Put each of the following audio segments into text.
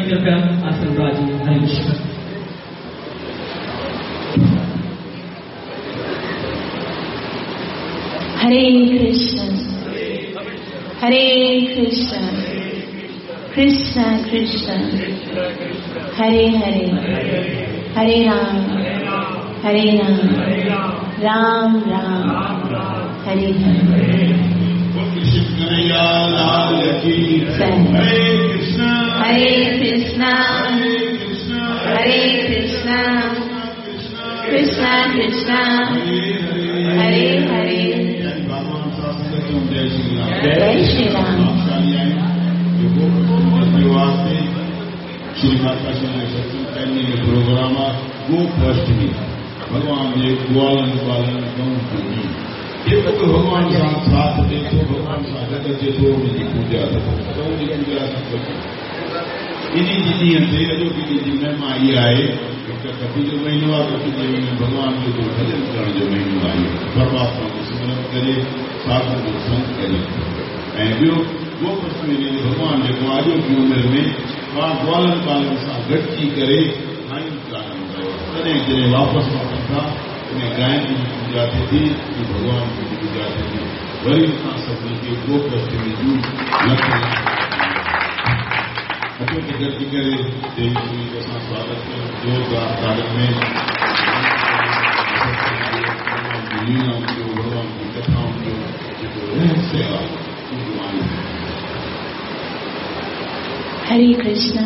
कृपया आसन राज हरे कृष्ण। हरे कृष्ण हरे कृष्ण कृष्ण कृष्ण हरे हरे, हरे राम हरे राम राम राम हरे हरे। हरे कृष्ण हरे कृष्ण कृष्ण कृष्ण हरे हरे। जय श्री राम। श्री माता श्री प्रोग्राम गोपाष्टमी भॻवान जे ग्वालनि बालनि गऊं जेको बि भॻवान सां साथ ॾिए थो, भॻवान सां गॾु अचे थो, उनजी पूॼा त उनजी पूॼा इन जे ॾींहं ते अॼोकी ॾींहं जी महिमा इहा आहे, हिकु कपी जो महीनो आहे, कपी जे महीने भॻवान जो भॼन करण जो महीनो आहे, परमात्मा जो सिमरन करे, साधु जो संग करे। ऐं ॿियो गोपाष्टमी ॾींहुं भॻवान जेको अॼोकी उमिरि में पाण ग्वालनि बालनि सां गॾिजी करे गायूं चारण कयो, तॾहिं जॾहिं वापसि वञनि था उन गायुनि जी पूॼा थिए थी, भॻवान जी पूॼा थिए थी। वरी असां सभिनी खे गोपाष्टमी जूं लख अचो त गॾिजी करे देवी श्री जो असां स्वागत कयूं जोरदार तालियुनि में। लीलाउनि जो, भॻवान जी कथाउनि जो जेको रहस्य आहे उहो आहे। हरे कृष्ण।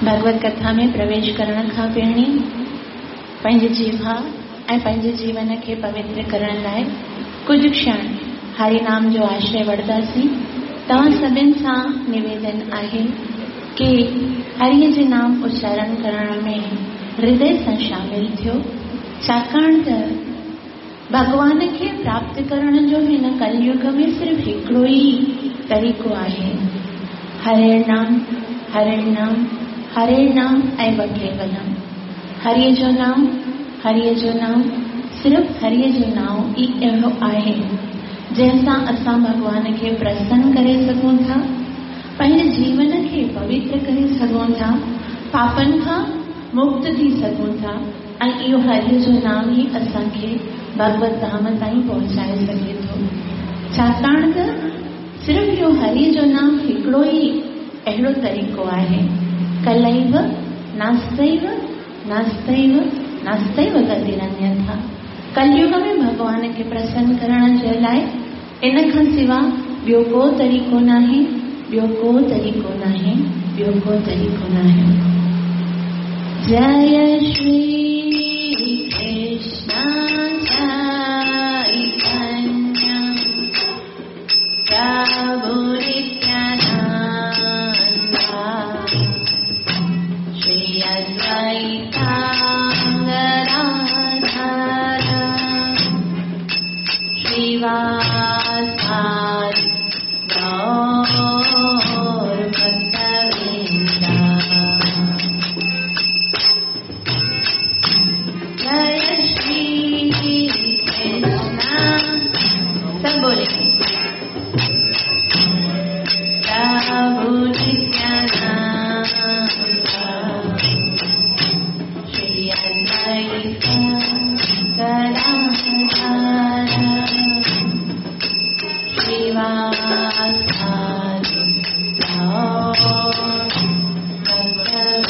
भगवत कथा में प्रवेश करण खां पहिरीं पंहिंजे जीवा ऐं पंहिंजे जीवन खे पवित्र करण लाइ कुझु क्षण हरिनाम जो आश्रय वठंदासीं। तव्हां सभिनि सां निवेदन आहे की हरिअ जे नाम उच्चारण करण में हृदय सां शामिल थियो, छाकाणि त भॻवान खे प्राप्त करण जो हिन कलयुग में सिर्फ़ हिकिड़ो ई तरीक़ो आहे, हरे नाम हरे नाम हरे नाम ऐं ॿ केवलम। हरिअ जो नाम हरिअ जो नाम सिर्फ़ हरिअ जो नाम ई अहिड़ो आहे जंहिंसां असां भॻवान खे प्रसन्न करे सघूं था, पंहिंजे जीवन खे पवित्र करे सघूं था, पापनि खां मुक्त थी सघूं था ऐं इहो हरिअ जो नाम ई असांखे भगवत धाम ताईं पहुचाए सघे थो। छाकाणि त सिर्फ़ इहो हरिअ जो नाम हिकिड़ो ई अहिड़ो तरीक़ो आहे। कलैव नास्तैव नास्तैव नास्तैव गतिरन्यथा। कलयुग में भॻवान खे प्रसन्न करण जे लाइ इन खां सिवा ॿियो को तरीक़ो नाहे, ॿियो को तरीक़ो नाहे, ॿियो को तरीक़ो नाहे। जय श्री कृष्ण चैतन्य प्रभु नित्यानंद श्री अद्वैता गदाधर श्रीवासादि गौर भक्तवृंदा। जय श्री कृष्ण। सब बोले प्रभु नित्यानंद श्री अद्वैत गदाधर श्रीवासादि गौर भक्तवृंदा।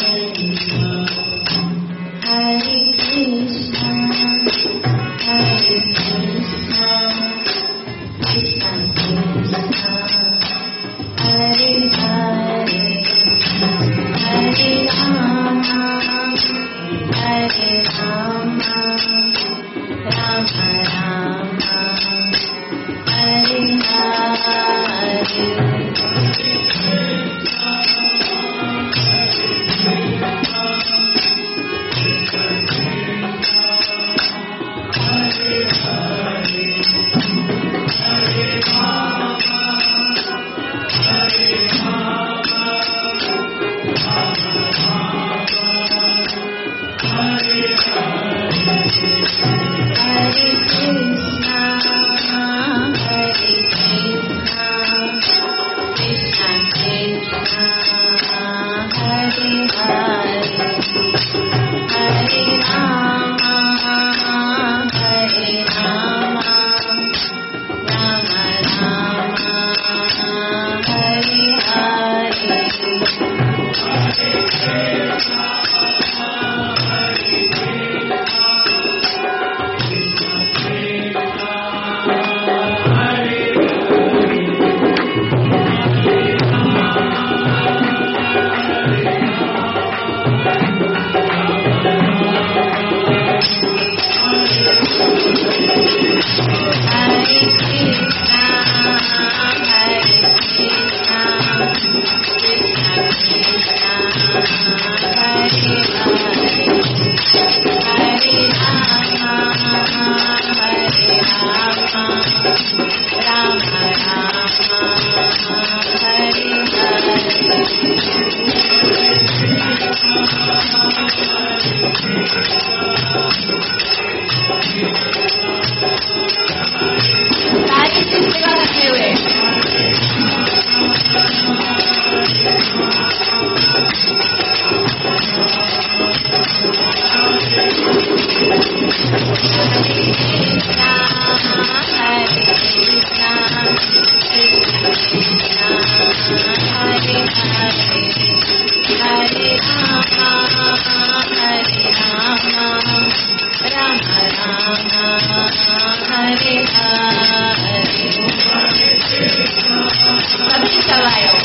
Rama Rama, Hare Hare. सारी सेवा रखे हुए। Krishna Hare Krishna, Krishna Krishna, Hare Hare, Hare Rama, Hare Rama, Rama Rama, Hare Hare. सभिनी सभु आयो।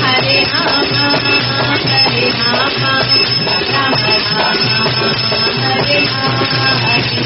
Hare Rama, Hare Rama, Rama Rama, Hare Hare.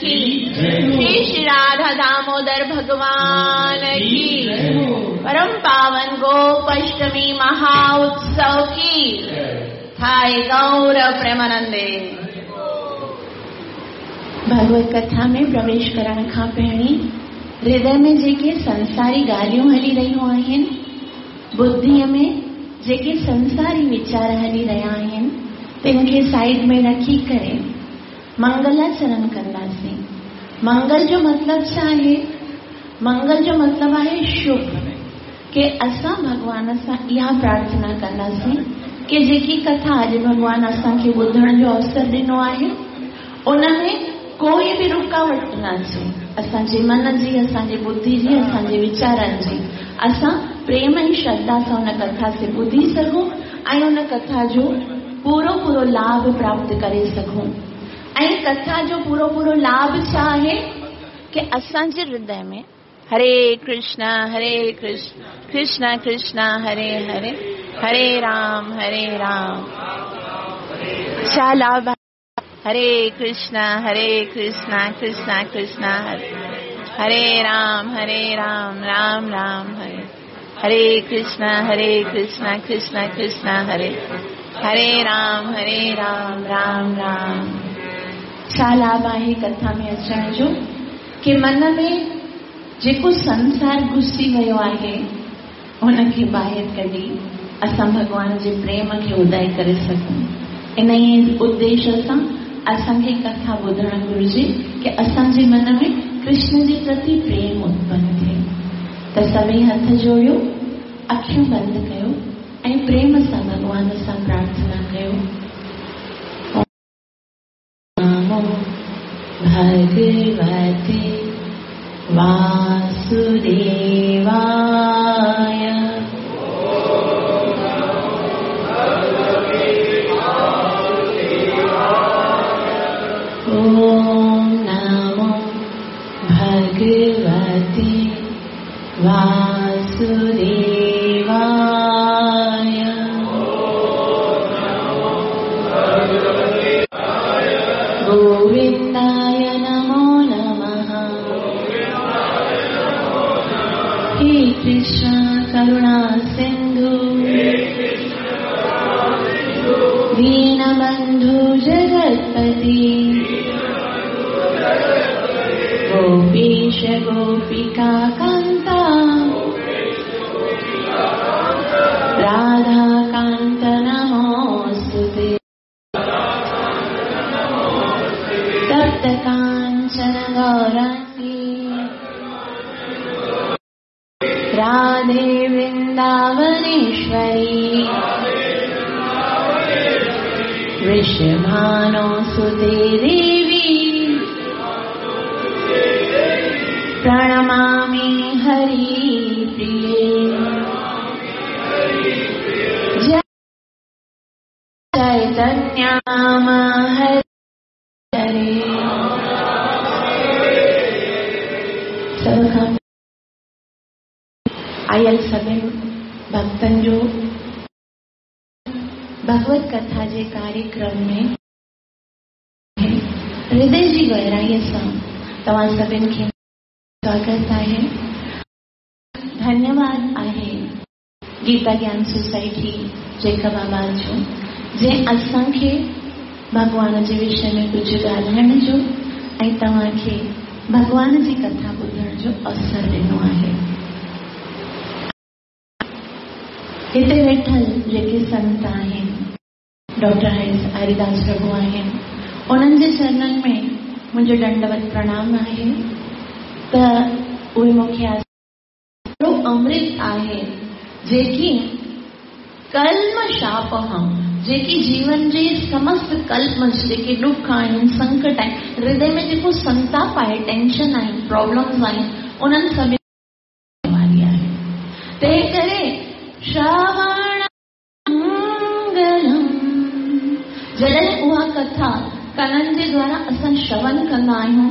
की, श्री राधा दामोदर भगवान की, परम पावन गोपाष्टमी महा उत्सव की। थाय गौर प्रेमानंदे। भगवत कथा में प्रवेश करण खां पहिरीं हृदय में जेके संसारी ॻाल्हियूं हली रहियूं आहिनि, बुद्धिअ में जेके संसारी वीचार हली रहिया आहिनि, तिन खे साइड में रखी करे मंगलाचरण कंदासीं। मंगल जो मतिलबु छा आहे? मंगल जो मतिलबु आहे शुभ, के असां भॻवान सां इहा प्रार्थना कंदासीं कि जेकी कथा अॼु भॻवान असांखे ॿुधण जो अवसर ॾिनो आहे, उन में कोई बि रुकावट न अचे। असांजे मन जी, असांजे बुद्धि जी, असांजे वीचारनि जी, असां प्रेम ऐं श्रद्धा सां उन कथा खे ॿुधी सघूं ऐं उन कथा जो पूरो पूरो लाभ प्राप्त करे सघूं। ऐं कथा जो पूरो पूरो लाभ छा आहे कि असांजे हृदय में हरे कृष्णा हरे कृष्ण कृष्ण कृष्ण हरे हरे हरे राम हरे राम, छा लाभ? हरे कृष्णा हरे कृष्णा कृष्णा कृष्णा हरे हरे राम राम राम हरे हरे कृष्णा कृष्ण कृष्ण हरे हरे राम राम राम। छा लाभ आहे कथा में अचण जो कि मन में जेको संसार घुसी वियो आहे उनखे ॿाहिरि कढी असां भॻवान जे प्रेम खे उदय करे सघूं। इन ई उद्देश्य सां असांखे कथा ॿुधणु घुरिजे कि असांजे मन में कृष्ण जे प्रति प्रेम उत्पन्न थिए। त सभई हथ जोड़ियो, अखियूं बंदि कयो ऐं प्रेम सां भॻवान सां प्रार्थना कयो। नमो भगवते वासुदेवाय। वासुदेवाय। गोविंदाय नमो नमः। हे कृष्ण करुणा सिंधु दीनबंधु जगत्पति गोपीश गोपिका कांता राधाकांत नमोस्तुते। तप्त कांचन गौरांगी राधे वृंदावनेश्वरी वृषभानुसुते देवी प्रणमामि हरिप्रिये। जय चैतन्य हरे। सभ खां आयल सभिनि भक्तनि जो भगवत कथा जे कार्यक्रम में हृदय जी गहराईअ सां तव्हां सभिनि खे स्वागत आहे, धन्यवाद आहे गीता ज्ञान सोसाइटी जैकबाबाद जो जंहिं असांखे भॻवान जे विषय में कुझु ॻाल्हाइण जो ऐं तव्हांखे भॻवान जी कथा ॿुधण जो अवसर ॾिनो आहे। हिते वेठल जेके संत आहिनि, डॉक्टर हरिदास प्रभु आहिनि, उन्हनि जे चरणनि में मुंहिंजो दंडवत प्रणाम आहे त उहे मूंखे अमृत आहे जेकी कल्मषापहम, जेकी जीवन जे समस्त कल्मष जेके ॾुख आहिनि, संकट आहिनि, हृदय में जेको संताप आहे, टेंशन आहिनि, प्रॉब्लम्स आहिनि, उन्हनि सभिनी वारी आहे। तंहिं करे श्रवण मंगलम, जॾहिं उहा कथा कननि जे द्वारा असां श्रवण कंदा आहियूं,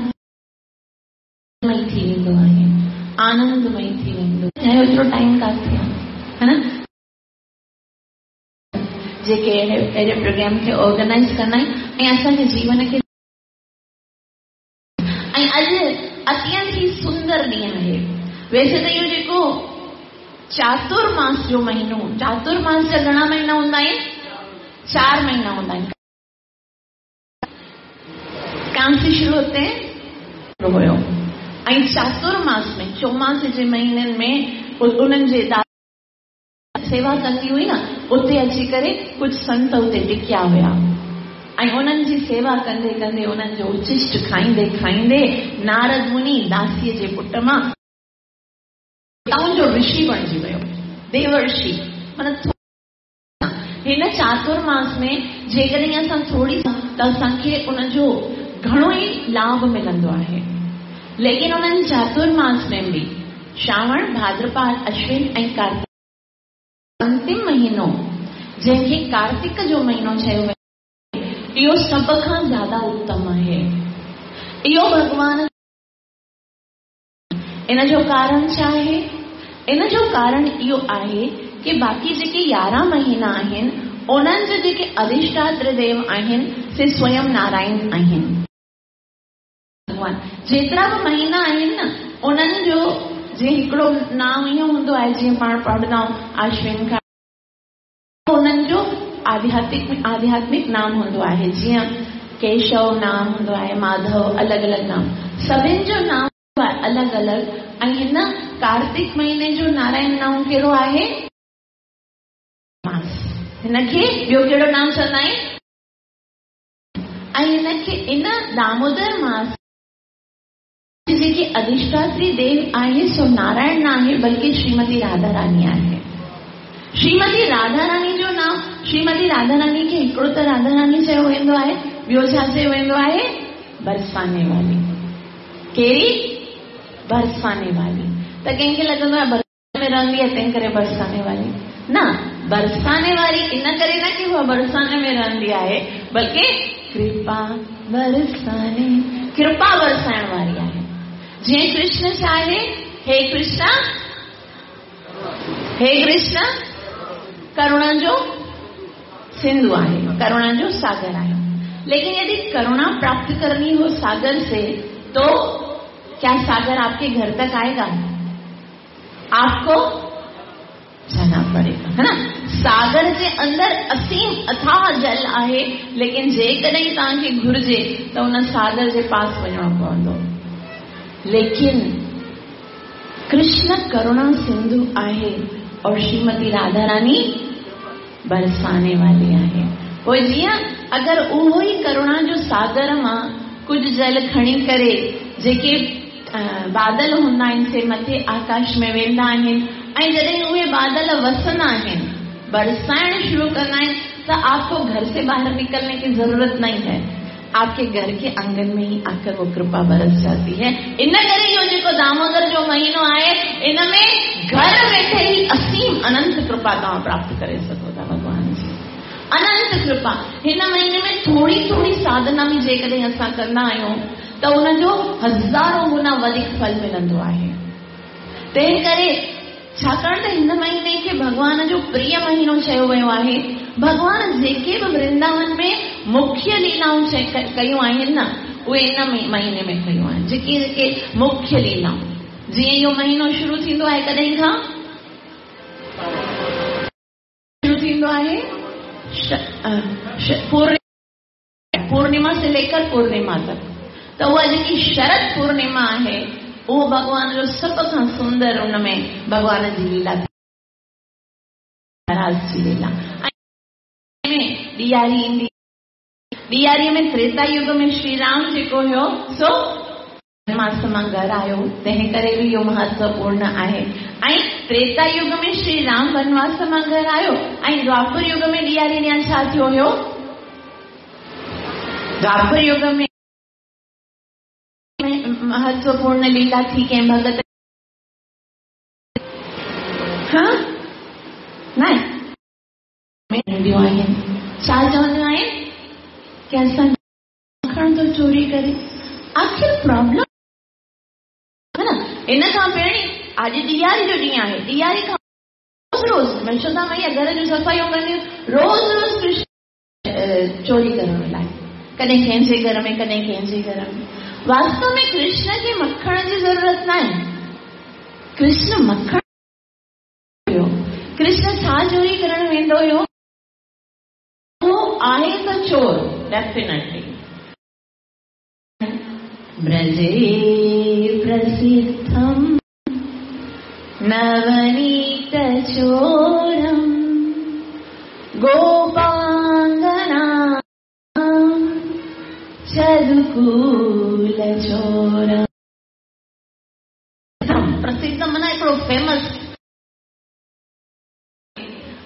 मई थी वेंदो आहे, आनंदमयी थी वेंदो। चाहे ओतिरो टाइम काथे आहे, है न? जेके अहिड़े प्रोग्राम खे ऑर्गेनाइज़ कंदा आहिनि ऐं असांजे जीवन खे। ऐं अॼु अत्यंत ई सुंदर ॾींहुं आहे। वैसे त इहो जेको चातुर्मास जो महीनो, चातुर्मास जा घणा महीना हूंदा आहिनि? 4 महीना हूंदा आहिनि। कहाँ से शुरू होते हैं? हुयो। ऐं चातुर्मास में, चौमास जे महीननि में उन्हनि जे सेवा कंदी हुई न, उते अची करे कुझु संत उते टिकिया हुया ऐं उन्हनि जी सेवा कंदे कंदे उन्हनि जो उच्छिष्ट खाईंदे खाईंदे नारद मुनि दासीअ जे पुट मां जो ऋषि बणिजी वियो, देवर्षि। माना हिन चातुर्मास में जेकॾहिं असां थोरी त असांखे उनजो घणो ई लाभ मिलंदो आहे। लेकिन उन्हनि चातुर्मास में बि श्रावण, भाद्रपाद, अश्विन ऐं कार्तिक अंतिम महीनो जंहिंखे कार्तिक जो महीनो चयो वञे, इहो सभ खां ज़्यादा उत्तम आहे। इहो भॻवान, इन जो कारण छा आहे? इन जो कारण इहो आहे की बाक़ी जेके 11 महीना आहिनि उन्हनि जो जेके अधिष्ठात्र देव आहिनि से स्वयं नारायण आहिनि। भॻवान जेतिरा बि महीना आहिनि न, उन्हनि जो जीअं हिकिड़ो नाम इहो हूंदो आहे, जीअं पाण पढ़ंदा आहियूं आश्विन खां, उन्हनि जो आध्यात्मिक नाम हूंदो आहे, जीअं केशव नाम हूंदो आहे, माधव, अलॻि अलॻि नाम, सभिनि जो नाम अलॻि अलॻि। ऐं हिन कार्तिक महीने जो नारायण नाम कहिड़ो आहे? मास। हिनखे ॿियो कहिड़ो नाम चवंदा आहिनि? ऐं हिनखे इन दामोदर मास जेके अधिष्ठात्री देव आहे सो नारायण न आहे बल्कि श्रीमती राधा रानी आहे। श्रीमती राधा रानी जो नाम, श्रीमती राधा रानी खे हिकिड़ो त राधा रानी चयो वेंदो आहे, ॿियो छा चयो वेंदो आहे? बरसाने वाली। कहिड़ी? बरसाने वाली। त कंहिंखे लॻंदो आहे बरसाने में रहंदी आहे तंहिं करे बरसाने वाली न, बरसाने वारी इन करे न की उहा बरसाने में रहंदी आहे, बल्कि कृपा बरसाने, कृपा बरसाइण वारी आहे। जीअं कृष्ण छा आहे? हे कृष्ण हे कृष्ण करुणा जो सिंधु आहे, करुणा जो सागर आहे। लेकिन यदि करुणा प्राप्त करनी हो सागर से तो क्या सागर आपके घर तक आएगा? आपको जाना पड़ेगा, है ना। सागर जे अंदर असीम अथाह जल आहे, लेकिन जेकॾहिं तव्हांखे घुर्जे त उन सागर जे पास वञिणो पवंदो। लेकिन कृष्ण करुणा सिंधु आहे और श्रीमती राधा रानी बरसाने वाली आहे। पोइ जीअं अगरि उहो ई करुणा जो सागर मां कुझु जल खणी करे जेके बादल हूंदा आहिनि से मथे आकाश में वेंदा आहिनि ऐं जॾहिं उहे बादल वसंदा आहिनि, बरसाइण शुरू कंदा आहिनि, त आपको घर से बाहर निकलने की जरूरत नहीं है, आपके घर के आंगन में ही आकर वो कृपा बरस जाती है। इन करे इहो जेको दामोदर जो महीनो आहे इन में घर वेठे ई असीम अनंत कृपा तव्हां प्राप्त करे सघो था भॻवान जी, अनंत कृपा। हिन महीने में थोरी थोरी साधना बि जेकॾहिं असां कंदा आहियूं त उनजो हज़ारों गुना वधीक फल मिलंदो आहे। तंहिं करे छाकाणि त हिन महीने खे भॻवान जो प्रिय महीनो चयो वियो आहे। भॻवान जेके बि वृंदावन में मुख्य लीलाऊं कयूं आहिनि न, उहे इन महीने में कयूं आहिनि। जेके जेके मुख्य लीलाऊं, जीअं इहो महीनो शुरू थींदो आहे कॾहिं खां शुरू थींदो आहे? पूर्णिमा से लेकर पूर्णिमा तक। त उहा जेकी शरद पूर्णिमा आहे उहो भॻवान जो सभ खां सुंदर, उन में भॻवान जी लीला, रास जी लीला। ऐं ॾियारी ईंदी, ॾियारीअ में त्रेता युग में श्री राम जेको हुयो सो वनवास मां घर आयो, तंहिं करे बि इहो महत्वपूर्ण आहे। ऐं त्रेता युग में श्री राम वनवास मां घर आयो ऐं द्वापर युग में ॾियारी ॾियां छा थियो हुयो? द्वापर युग में महत्वपूर्ण लीला थी कंहिं भगत, हा न ईंदियूं आहिनि, छा चवंदियूं आहिनि की असां मखण थो चोरी करे। आख़िर प्रॉब्लम है न। इन खां पहिरीं अॼु ॾियारी जो ॾींहुं आहे, ॾियारी खां रोज़ रोज़ यशोदा मैया घर जूं सफ़ाइयूं कंदियूं, रोज़ रोज़ कृष्ण चोरी करण लाइ, कॾहिं कंहिंजे घर में कॾहिं कंहिंजे घर में। वास्तव में कृष्ण खे मखण जी ज़रूरत न आहे, कृष्ण मखण हुयो। कृष्ण छा चोरी करण वेंदो हुयो? उहो आहे त चोर डेफिनेटली। ब्रजे प्रसिद्धं नवनीत चोरं गोपांगना चदुकूल चोरं। प्रसिद्ध माना हिकिड़ो फेमस,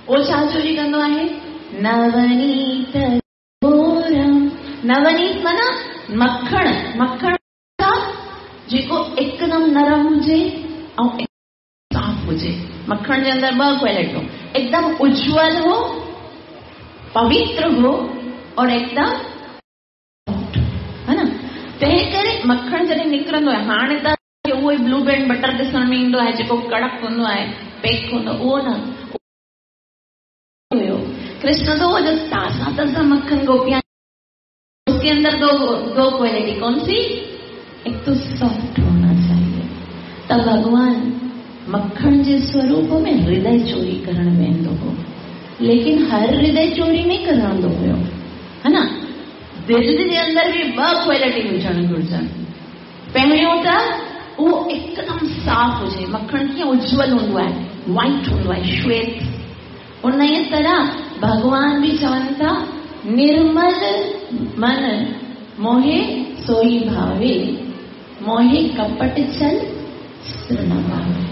उहो छा चोरी कंदो आहे? नवनीत चोरं। नवनीत माना मखण, मखण जेको एकदम नरम हुजे ऐं साफ़ हुजे। मखण जे अंदरि ॿ क्वालिटियूं, एकदम उज्जवल हो, पवित्र हो और एकदम, है ना। तंहिं करे मखण जॾहिं निकिरंदो आहे, हाणे त उहो ई ब्लू बैंड बटर ॾिसण में ईंदो आहे जेको कड़क हूंदो आहे, पैक हूंदो, उहो न हुयो। कृष्ण तो वो जो ताज़ा ताज़ा मक्खन गोपियां, उसके अंदर दो दो क्वालिटी, कौन सी? एक तो सॉफ्ट होना चाहिए। त भगवान मक्खण जे स्वरूप में हृदय चोरी करण वेंदो हो, लेकिन हर हृदय चोरी नहीं करंदो हुयो, है ना। दिलि जे अंदरि बि ॿ क्वालिटी हुजणु घुर्जनि। पहिरियों त उहो एकदम साफ़ हुजे, मक्खण कीअं उज्जवल हूंदो आहे, वाइट हूंदो आहे, श्वेत। उन ई तरह भॻवान बि चवनि था, निर्मल मन मोहे सोई भावे, मोहे कपट छल चित्र न भावे।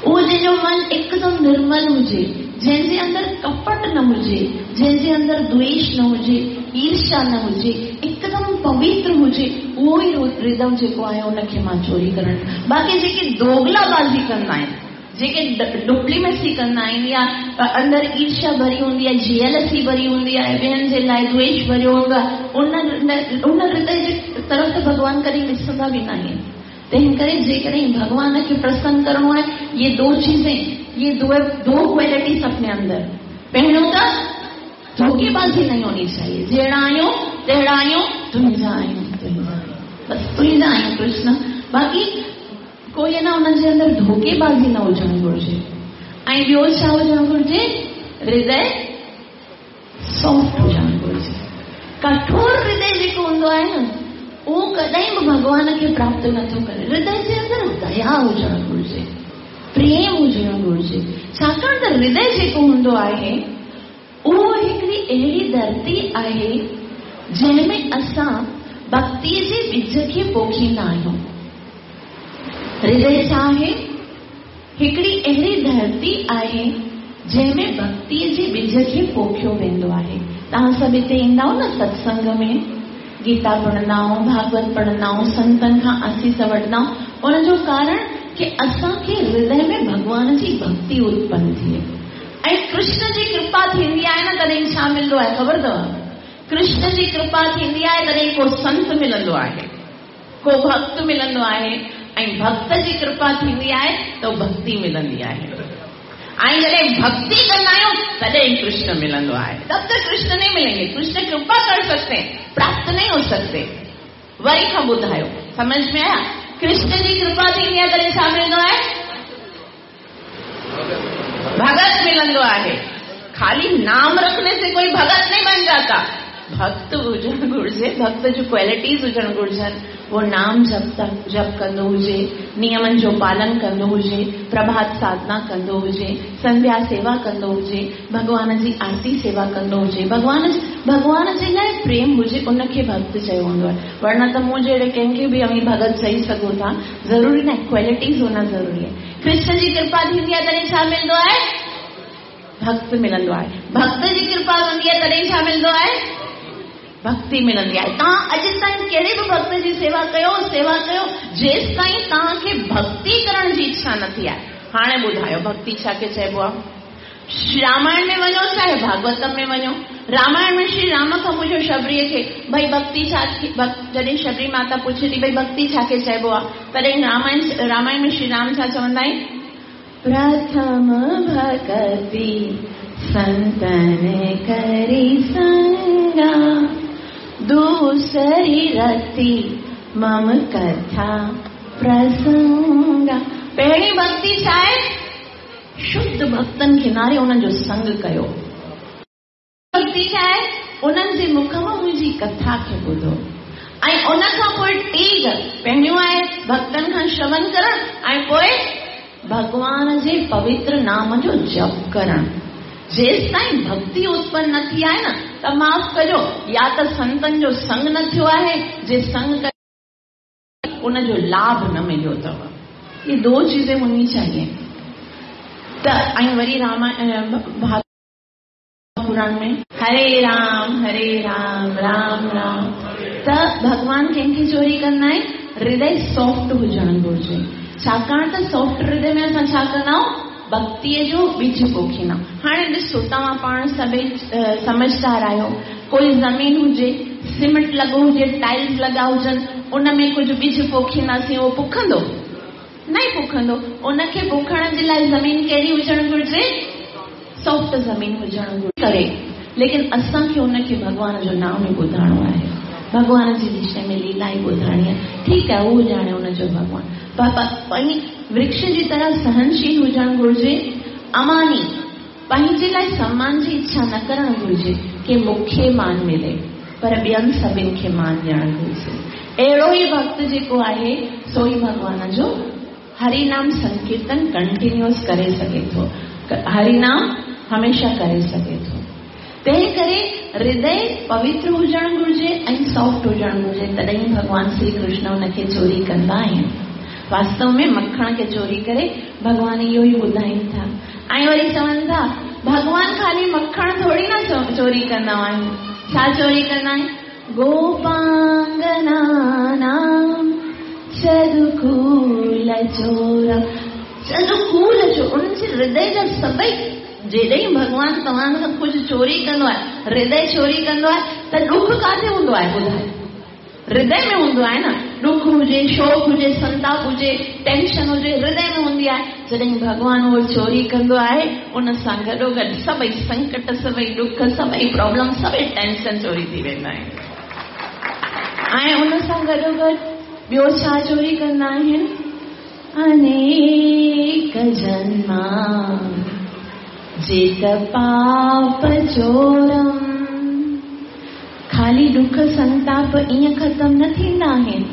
उहो जंहिंजो मन एकदम निर्मल हुजे, जंहिंजे अंदरि कपट न हुजे, जंहिंजे अंदरि द्वेष न हुजे, ईर्ष्या न हुजे, एकदम पवित्र हुजे, उहो ई हृदय जेको आहे उनखे मां चोरी करण। बाक़ी जेके दोगलाबाज़ी कंदा आहिनि, जेके डुप्लीमेसी कंदा आहिनि या अंदरि ईर्ष्या भरी हूंदी आहे, जेलसी भरी हूंदी आहे, ॿियनि जे लाइ द्वेष भरियो हूंदो आहे, उन हृदय जे तरफ़ त भॻवान कॾहिं ॾिसंदा बि न आहिनि। तंहिं करे जेकॾहिं भॻवान खे प्रसन्न करिणो आहे, इहे दो चीज़ें, ये दो दो क्वालिटीज अपने अंदर। पहिरियों त धोखेबाजी नहीं होनी चाहिए। जहिड़ा आहियूं तहिड़ा आहियूं, तुंहिंजा आहियूं तुंहिंजा आहियूं, बसि तुंहिंजा आहियूं कृष्ण। बाक़ी कोई है ना उन्हनि जे अंदरि धोखेबाज़ी न हुजणु घुरिजे। ऐं ॿियो छा हुजणु घुरिजे? हृदय सॉफ्ट हुजणु घुरिजे। कठोर हृदय जेको हूंदो आहे न, उहो कॾहिं बि भॻवान खे प्राप्त नथो करे। हृदय जे अंदरि दया हुजणु घुरिजे, प्रेम हुजणु घुरिजे। छाकाणि त हृदय जेको हूंदो आहे उहो हिकिड़ी अहिड़ी धरती आहे जंहिंमें असां भक्ति जे बिज खे पोखींदा आहियूं। हृदय छा आहे? हिकिड़ी अहिड़ी धरती आहे जंहिंमें भक्ति जे बिज खे पोखियो वेंदो आहे। तव्हां सभु हिते ईंदा न सत्संग में, गीता पढ़ंदा आहियूं, भागवत पढ़ंदा आहियूं, संतनि खां आसीस वठंदा आहियूं। उनजो कारण की असांखे हृदय में भॻवान जी भक्ति उत्पन्न थिए ऐं कृष्ण जी कृपा थींदी आहे न, तॾहिं छा मिलंदो आहे ख़बर अथव? कृष्ण जी कृपा थींदी आहे तॾहिं को संत मिलंदो आहे, को भक्त मिलंदो आहे, ऐं भक्त जी कृपा थींदी आहे त भक्ति मिलंदी आहे। ऐं जॾहिं भक्ति कंदा आहियूं तॾहिं कृष्ण मिलंदो आहे। तब तक कृष्ण नहीं मिलेंगे। कृष्ण कृपा कर सकते हैं, प्राप्त नहीं हो सकते। वरी खां ॿुधायो, समझ में आया? कृष्ण जी कृपा थींदी आहे तॾहिं छा मिलंदो आहे? भगत मिलंदो आहे। खाली नाम रखने से कोई भगत नहीं बन जाता। भक्त हुजणु घुरिजे, भक्त जूं क्वालिटीज हुजणु घुरिजनि। उहो नाम जप कंदो हुजे, नियमनि जो पालन कंदो हुजे, प्रभात साधना कंदो हुजे, संध्या सेवा कंदो हुजे, भॻवान जी आरती सेवा कंदो हुजे, भॻवान जे लाइ प्रेम हुजे, उनखे भक्त चयो वेंदो आहे। वरना त मूं जहिड़े कंहिंखे बि अवीं भगत चई सघो था, ज़रूरी न आहे। क्वालिटीज होना ज़रूरी आहे। कृष्ण जी कृपा थींदी आहे तॾहिं छा मिलंदो आहे? भक्त मिलंदो आहे। भक्त जी कृपा हूंदी आहे तॾहिं छा मिलंदो आहे? भक्ति मिलंदी आहे। तव्हां अॼु ताईं कहिड़े बि भक्त जी सेवा कयो, सेवा कयो, जेसि ताईं तव्हांखे भक्ति करण जी इच्छा न थी आहे। हाणे ॿुधायो भक्ति छा खे चइबो आहे? रामायण में वञो चाहे भागवतम में वञो, रामायण में श्री राम खां पुछो शबरीअ खे, भई भक्ति छा? जॾहिं शबरी माता पुछे थी भई भक्ति छा खे चइबो आहे, तॾहिं रामायण में श्री राम छा चवंदा आहिनि? प्रथम भक्ति संतन करी संगा, दूसरी रति मम कथा प्रसंगा। पहिरीं भक्ति छा आहे? शुद्ध भक्तनि खे नारे उन्हनि जो संग कयो। भक्ति छा आहे? उन्हनि जे मुख मां मुंहिंजी कथा खे ॿुधो। ऐं उन खां पोइ टी पहिरियों आहे भक्तनि खां श्रवण करणु ऐं पोइ भॻवान जे पवित्र नाम जो जप करणु। जेसि ताईं भक्ति उत्पन्न न थी आहे न, त माफ़ कजो, या त संतनि जो संग न थियो आहे, जे संग करे उनजो लाभ न मिलियो अथव। ये दो चीज़ें होनी चाहिए। त ऐं वरी रामायण पुराण में हरे राम राम राम। त भॻवान कंहिंखे चोरी कंदा आहिनि? हृदय सॉफ्ट हुजणु घुरिजे। छाकाणि त सॉफ्ट हृदय में असां छा कंदा आहियूं? भक्तिअ जो बीज पोखींदा। हाणे ॾिसो, तव्हां पाण सभई समझदार आहियो। कोई ज़मीन हुजे, सीमेंट लॻो हुजे, टाइल्स लॻा हुजनि, उन में कुझु बीज पोखींदासीं, उहो पुखंदो? न ई पुखंदो। उनखे पोखण जे लाइ ज़मीन कहिड़ी हुजणु घुरिजे? सॉफ्ट ज़मीन हुजणु घुरिजे। करे लेकिन असांखे उनखे भॻवान जो नाम ई ॿुधाइणो आहे, भॻवान जे विषय में लीला ई ॿुधाइणी आहे। ठीकु आहे, उहो ॼाणे उनजो भॻवान। पर वृक्ष जी तरह सहनशील हुजणु घुरिजे। अमानी, पंहिंजे लाइ सम्मान जी इच्छा न करणु घुरिजे की मूंखे मान मिले, पर ॿियनि सभिनी खे मान ॾियणु घुरिजे। अहिड़ो ई भक्त जेको आहे सो ई भॻवान जो हरिनाम संकीर्तन कंटिन्यूअस करे सघे थो, हरिनाम हमेशा करे सघे थो। तंहिं करे हृदय पवित्र हुजणु घुरिजे ऐं सॉफ्ट हुजणु घुरिजे, तॾहिं भॻवान श्री कृष्ण हुनखे चोरी कंदा आहिनि। वास्तव में मखण खे चोरी करे भॻवान इहो ई ॿुधाइनि था। ऐं वरी चवनि था भॻवान ख़ाली मखण थोरी न चोरी कंदा आहिनि, छा चोरी कंदा आहिनि? गोपांगना नाम चदुकूल चोर, चदुकूल चोर। उन्हनि जे हृदय जा सभई, जॾहिं भॻवान तव्हां खां कुझु चोरी कंदो आहे, हृदय चोरी कंदो आहे, त ॾुख काथे हूंदो आहे? ॿुधाए, हृदय में हूंदो आहे न। ॾुख हुजे, शोक हुजे, संताप हुजे, टेंशन हुजे, हृदय में हूंदी आहे। जॾहिं भॻवानु उहो चोरी कंदो आहे, उन सां गॾोगॾु सभई संकट, सभई ॾुख, सभई प्रॉब्लम, सभई टेंशन चोरी थी वेंदा आहिनि। ऐं उन सां गॾोगॾु ॿियो छा चोरी कंदा आहिनि? अनेक जन्मा जित पाप चोरम। ख़ाली ॾुख संताप ईअं ख़तमु न थींदा आहिनि।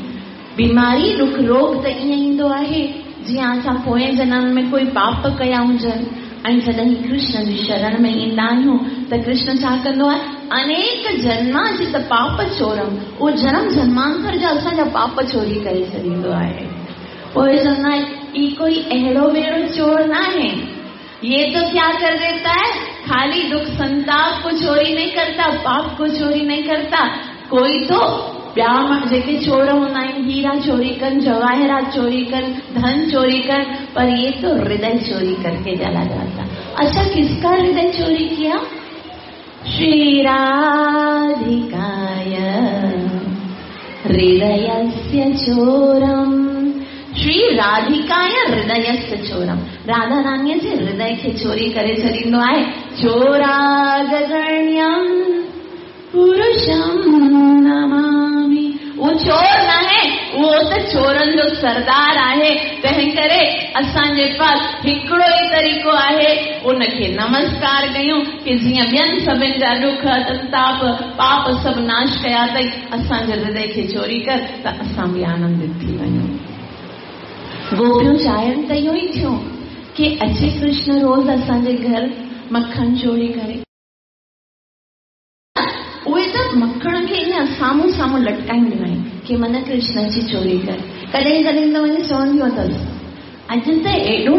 बीमारी, ॾुख, रोग त ईअं ईंदो आहे जीअं असां पोएं जनम में कोई पाप कया हुजनि। ऐं जॾहिं कृष्ण जी शरण में ईंदा आहियूं त कृष्ण छा कंदो आहे? अनेक जन्मा जित पाप चोरम, उहो जनम जन्मांतर जा असांजा पाप चोरी करे छॾींदो आहे। पोइ चवंदा आहिनि, ई कोई अहिड़ो बहिड़ो चोर न आहे। ये तो क्या कर देता है? खाली दुख संताप को चोरी नहीं करता, पाप को चोरी नहीं करता। कोई तो ॿिया जेके चोर हूंदा आहिनि, हीरा चोरी कनि, जवाहिरात चोरी कनि, धन चोरी कनि, पर ये तो हृदय चोरी करके चला जाता। अच्छा, किसका हृदय चोरी किया? श्री राधिकाय हृदयस्य चोरम। श्री राधिकाय हृदयस्य चोरम। राधा राणीअ जे हृदय खे चोरी करे छॾींदो आहे। चोरागण्यम पुरुषम नमामि। उहो चोर न आहे, उहो त चोरनि जो सरदार आहे। तंहिं करे असांजे पास हिकिड़ो ई तरीक़ो आहे, उनखे नमस्कार कयूं की जीअं ॿियनि सभिनि जा ॾुख, संताप, पाप सभु नाश कया अथई, असांजे हृदय खे चोरी कर त असां बि आनंदित थी वञूं। गोपियूं चाहिनि त इहो ई थियो की अचे कृष्ण रोज़ असांजे घर मखण चोरी करे। उहे त मखण खे ईअं साम्हूं साम्हूं लटकाईंदियूं आहिनि की मन कृष्ण अची चोरी करे। कॾहिं कॾहिं त वञी चवंदियूं अथसि, अॼु त एॾो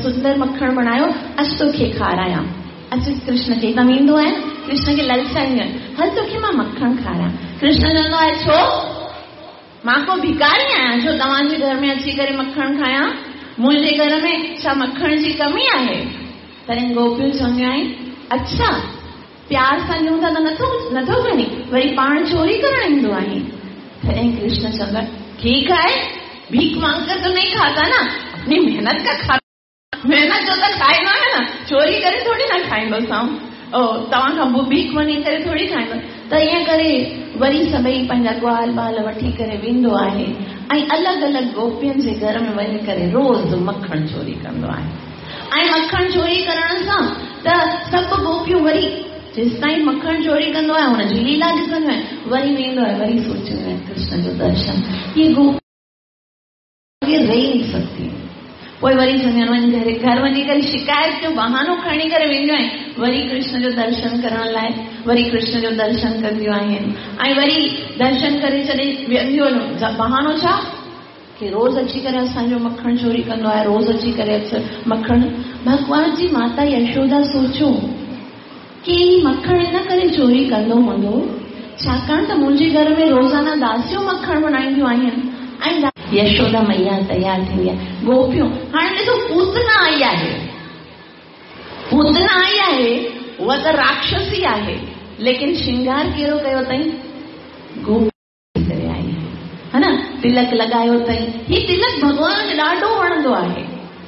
सुंदर मखण बणायो, अॼु तोखे खारायां। अचु कृष्ण खे हितां वेंदो आहे, कृष्ण खे ललचाईंदियूं आहिनि, हल तोखे मां मखण खारायां। कृष्ण चवंदो आहे, छो मां को भिकारी आहियां जो तव्हांजे घर में अची करे मखण खायां? मुंहिंजे घर में छा मखण जी कमी आहे? तॾहिं गोपियूं चवंदियूं आहिनि, अच्छा प्यार सां ॾियूं था त नथो खणी, वरी पाण चोरी करण ईंदो आहे। तॾहिं कृष्ण चवंदो आहे, ठीकु आहे, भीख मांग कर तो नहीं खाता ना, अपनी मेहनत का खाता, मेहनत जो त खाईंदो आहे न, चोरी करे थोरी न खाईंदोसां, तव्हां खां भीख वञी करे थोरी खाईंदो। त ईअं करे वरी सभई पंहिंजा ग्वाल बाल वठी करे वेंदो आहे ऐं अलॻि अलॻि गोपियुनि जे घर में वञी करे रोज़ मखण चोरी कंदो आहे। ऐं मखण चोरी करण सां त सभु गोपियूं वरी जेसि ताईं मखण चोरी कंदो आहे हुनजी लीला ॾिसंदियूं आहिनि, वरी वेंदो आहे, वरी सोचींदियूं आहिनि कृष्ण जो दर्शन। इहे गोपी रही नहीं सकती। पोइ वरी चवंदियूं आहिनि, वञी घर वञी करे शिकायत जो बहानो खणी करे वेंदियूं आहिनि, वरी कृष्ण जो दर्शन करण लाइ, वरी कृष्ण जो दर्शन कंदियूं आहिनि। ऐं वरी दर्शन करे छॾे वेंदियूं आहिनि। बहानो छा की रोज़ अची करे असांजो मखण चोरी कंदो आहे, रोज़ अची करे मखण। भॻवान जी माता यशोदा सोचो की मखण इन करे चोरी कंदो हूंदो, छाकाणि त मुंहिंजे घर में रोज़ाना दासियूं मखण बणाईंदियूं आहिनि। ऐं यशोदा मैया तयारु थींदी आहे। गोपियूं हाणे ॾिसो, पूतना आई आहे, पूतना आई आहे, उहा त राक्षसी आहे, लेकिन श्रृंगार कहिड़ो कयो अथई? गोपी करे आई आहे, हा न, तिलक लॻायो अथई। हीउ तिलक भॻवान खे ॾाढो वणंदो आहे,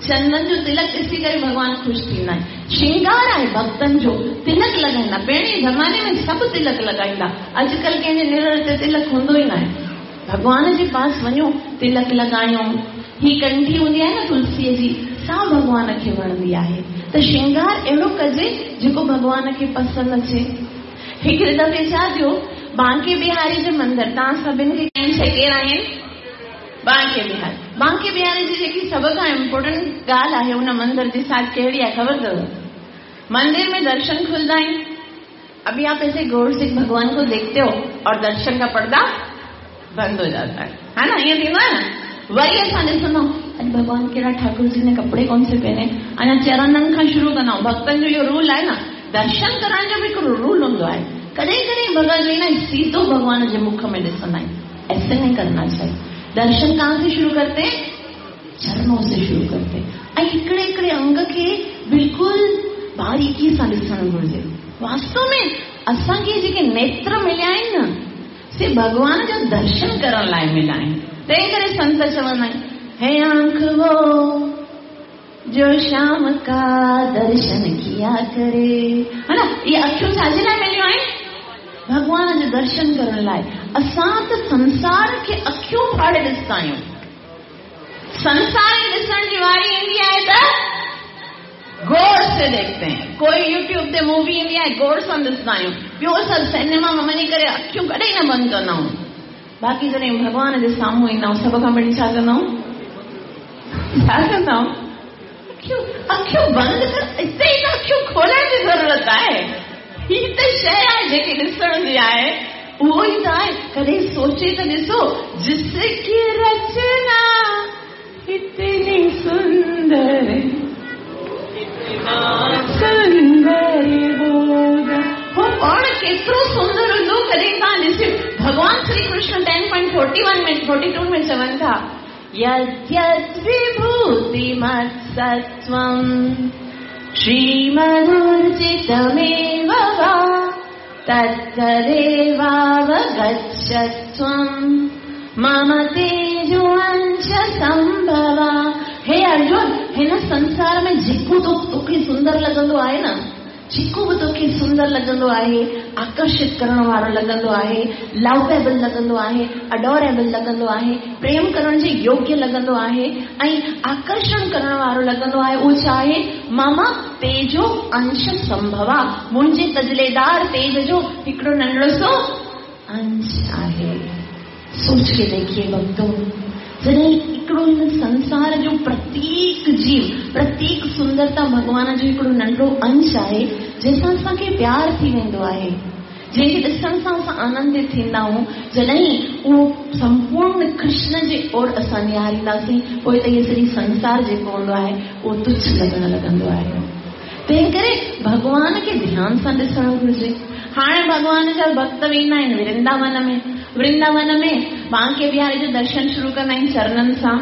चंदन जो तिलक ॾिसी करे भॻवान ख़ुशि थींदा आहिनि। श्रृंगार आहे भक्तनि जो, तिलक लॻाईंदा। पहिरीं ज़माने में सभु तिलक लॻाईंदा, अॼुकल्ह कंहिंजे निरड़ ते तिलक हूंदो ई न आहे। भॻवान जे पास वञो, तिलक लॻायूं। हीअ कंठी हूंदी आहे न तुलसीअ जी, सा भॻवान खे वणंदी आहे। त श्रृंगार अहिड़ो कजे जेको भॻवान खे पसंदि अचे। हिकिड़े दफ़े छा थियो, बांके बिहारी जे मंदिर, तव्हां सभिनि खे केरु आहिनि? बांके बिहारी। बांके बिहारी जी जेकी सभ खां इम्पोर्टेंट ॻाल्हि आहे उन मंदिर जे साथ कहिड़ी आहे ख़बर अथव? मंदिर में दर्शन खुलदा आहिनि। अभी आप ऐसे गौर से भगवान को देखते हो और दर्शन का पर्दा बंद हो जाता है ना, ईअं थींदो आहे न। वरी असां ॾिसंदा अॼु भॻवान कहिड़ा ठाकुर जी ने कपिड़े कौन से पहने, अञा चरणनि खां शुरू कंदा आहियूं। भक्तनि जो इहो रूल आहे न, दर्शन करण जो बि हिकिड़ो रूल हूंदो आहे। कॾहिं कॾहिं भॻत जो न सीधो भॻवान जे मुख में ॾिसंदा आहिनि, ऐसे नहीं करना चाहिए। दर्शन कहाँ से शुरू करते हैं? चरणों से शुरू करते हैं। ऐं हिकिड़े हिकिड़े अंग खे बिल्कुलु बारीकी सां ॾिसणु घुरिजे। वास्तव में असांखे जेके नेत्र मिलिया आहिनि न, से भॻवान जो दर्शन करण लाइ मिला आहिनि। तंहिं करे संत चवंदा आहिनि, हे आंख वो जो श्याम का दर्शन किया करे। हा न, इहे अखियूं छाजे लाइ मिलियूं आहिनि? भॻवान जो दर्शन करण लाइ। असां त संसार खे अखियूं फाड़े ॾिसंदा आहियूं। संसार खे ॾिसण जी वारी ईंदी आहे त गौर से देखते हैं। कोई यूट्यूब ते मूवी ईंदी आहे, गौर सां ॾिसंदा आहियूं। ॿियो सभु सिनेमा में वञी करे अखियूं कॾहिं न बंदि कंदा आहियूं। बाक़ी जॾहिं भॻवान जे साम्हूं ईंदा आहियूं, सभ खां पहिरीं छा कंदा आहियूं? छा कंदा आहियूं? अखियूं अखियूं बंदि कर। हिते ई त अखियूं खोलण जी ज़रूरत आहे। हीअ त शइ आहे जेकी ॾिसण जी आहे, उहो ई त आहे। कॾहिं सोचे त ॾिसो, जिसकी रचना इतनी सुंदर सुंदर होगा। हो पाण केतिरो सुंदर हूंदो, कॾहिं तव्हां ॾिसियो। भॻवान श्री कृष्ण 10.41 में 42 में चवनि था, यद्यद् विभूतिमत्सत्त्वं श्रीमदूर्जितमेव वा तत्तदेवावगच्छत्वं मम तेजोंश संभवा। हे अर्जुन, हिन संसार में जेको तोखे सुंदर लॻंदो आहे न, जेको बि तोखे सुंदर लॻंदो आहे, आकर्षित करण वारो लॻंदो आहे, लवेबल लॻंदो आहे, अडोरेबल लॻंदो आहे, प्रेम करण जे योग्य लॻंदो आहे ऐं आकर्षण करण वारो लॻंदो आहे, उहो छा आहे? मम तेजो अंश संभवा, मुंहिंजे तजलेदार तेज जो हिकिड़ो नंढड़ो सो अंश आहे। सोच के देखिए भक्तों, जॾहिं हिकिड़ो हिन संसार जो प्रत्येक जीव, प्रत्येक सुंदरता भॻवान जो हिकिड़ो नंढड़ो अंश आहे, जंहिंसां असांखे प्यार थी वेंदो आहे, जंहिंखे ॾिसण सां असां आनंदित थींदा आहियूं। जॾहिं उहो संपूर्ण कृष्ण जे ओर असां निहारींदासीं, पोइ त इहो सॼी संसार जेको हूंदो आहे उहो तुच्छ लॻण लॻंदो आहे। तंहिं करे भॻवान खे ध्यान सां ॾिसणु घुरिजे। हाणे भॻवान जा भक्त वेंदा आहिनि वृंदावन में। वृंदावन में बांके बिहारी जो दर्शन शुरू कंदा आहिनि चरणनि सां,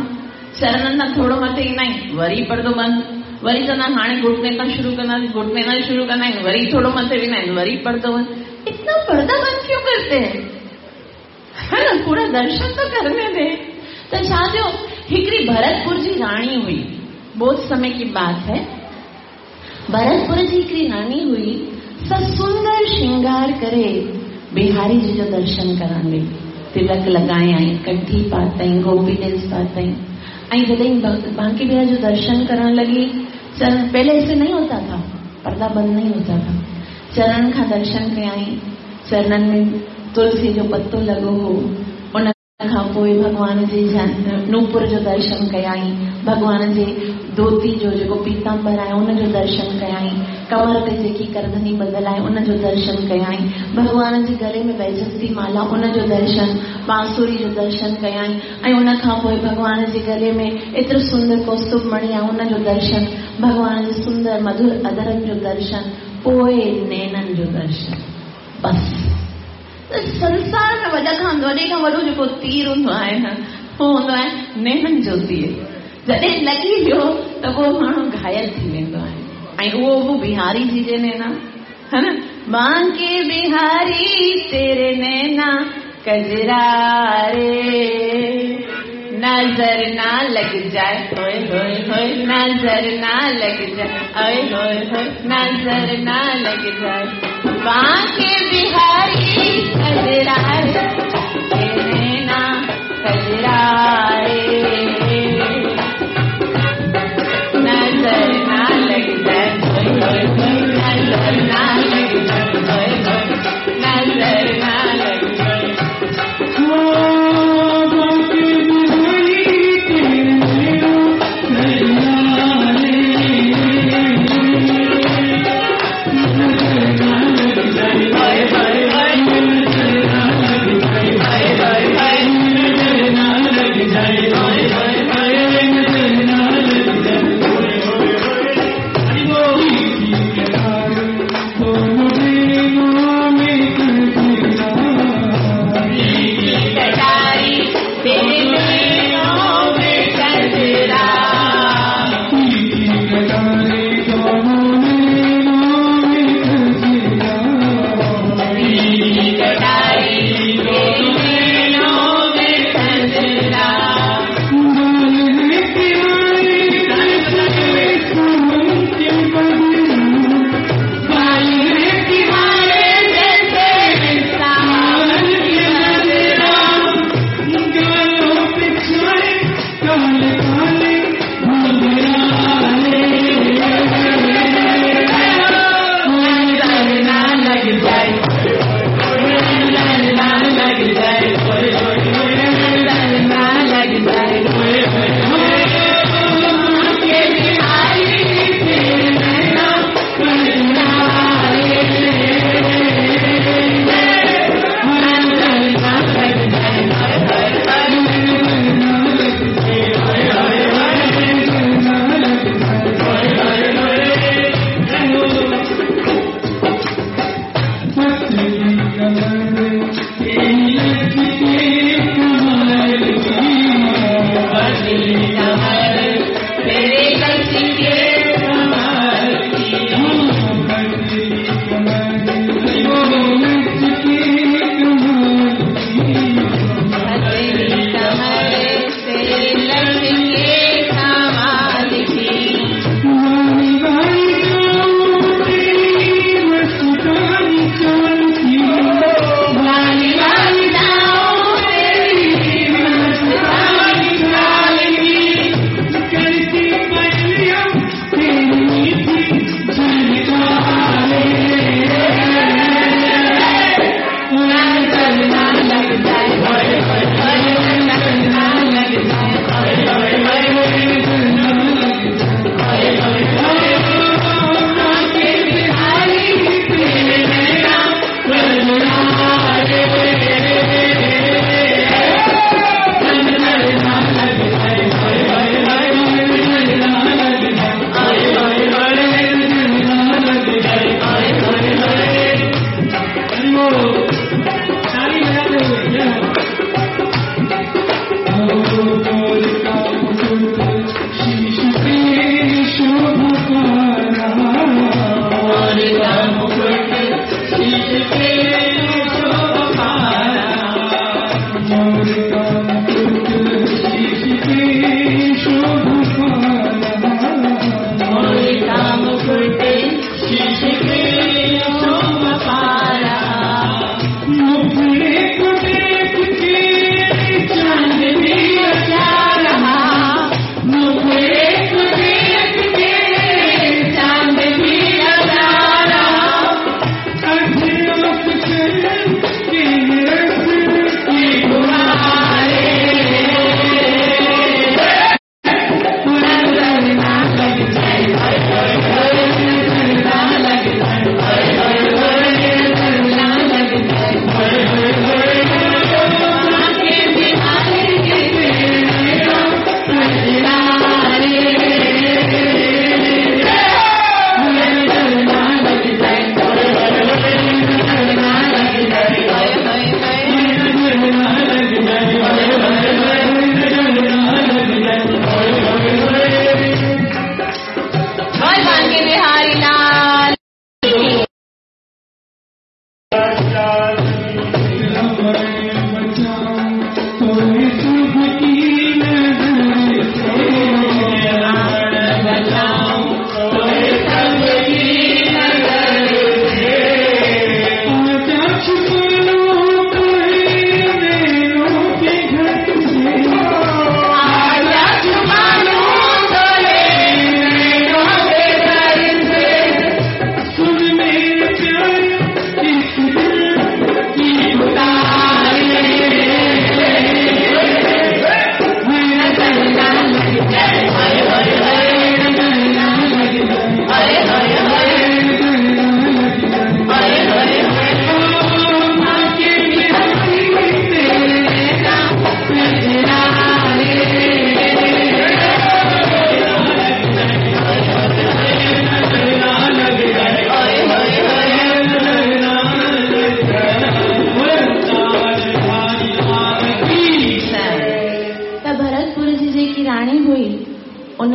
चरणनि सां थोरो मथे ईंदा आहिनि, वरी पर्दो बंदि, वरी चवंदा आहिनि हाणे घुटने तां शुरू कंदासीं, घुटने तां शुरू कंदा आहिनि, वरी थोरो मथे वेंदा आहिनि, वरी पर्दो बंदि। इतना पर्दा बंद क्यों करते हैं? है ना, पूरा दर्शन तो करने दे। त छा थियो, हिकिड़ी भरतपुर जी राणी हुई, बहुत समय की बात है। भरतपुर जी हिकिड़ी राणी हुई, सा सुंदर श्रृंगार करे बिहारी जी जो दर्शन करण वई। तिलक लॻायईं, कंठी पातई, गोपी नेस पातई, ऐं जॾहिं बांके बिहारी जो दर्शन करण लॻी, चरण पहले ऐसे नहीं होता था, पर्दा बंद नहीं होता था। चरण खां दर्शन कयाईं, चरणनि में तुलसी जो पत्तो लॻो हो, उन खां पोइ भॻवान जे नूपुर जो दर्शन कयाईं, भॻवान जे धोती जो जेको पीताम्बर आहे उन जो दर्शन कयाईं, कमर ते जेकी करधनी ॿधल आहे उन जो दर्शन कयाईं, भॻवान जे गले में वैजंती माला उन जो दर्शन, बांसुरी जो दर्शन कयाईं, ऐं उन खां पोइ भॻवान जे गले में एतिरो सुंदर कौस्तुभ मणि आहे उन जो दर्शन, भॻवान जे सुंदर मधुर अदरनि जो दर्शन, पोइ नैननि जो दर्शन। बसि संसार में वॾे खां वॾो जेको तीर हूंदो आहे न, उहो हूंदो आहे नैननि जो तीर। जॾहिं लॻी वियो त पोइ माण्हू घायल थी वेंदो आहे, ऐं उहो बि बिहारी जी जे नैना, है न, बांके बिहारी तेरे नैना कजरा रे, नजर ना लग जाए, होए होए होए, नजर ना लग जाए, ओए होए होए, नजर ना लग जाए, बांके बिहारी कजरा रे, तेरे नैना कजरा रे, नजर ना लग जाए, होए होए होए, नजर ना लग जाए, होए होए, नजर ना लग जाए। होए होए होए,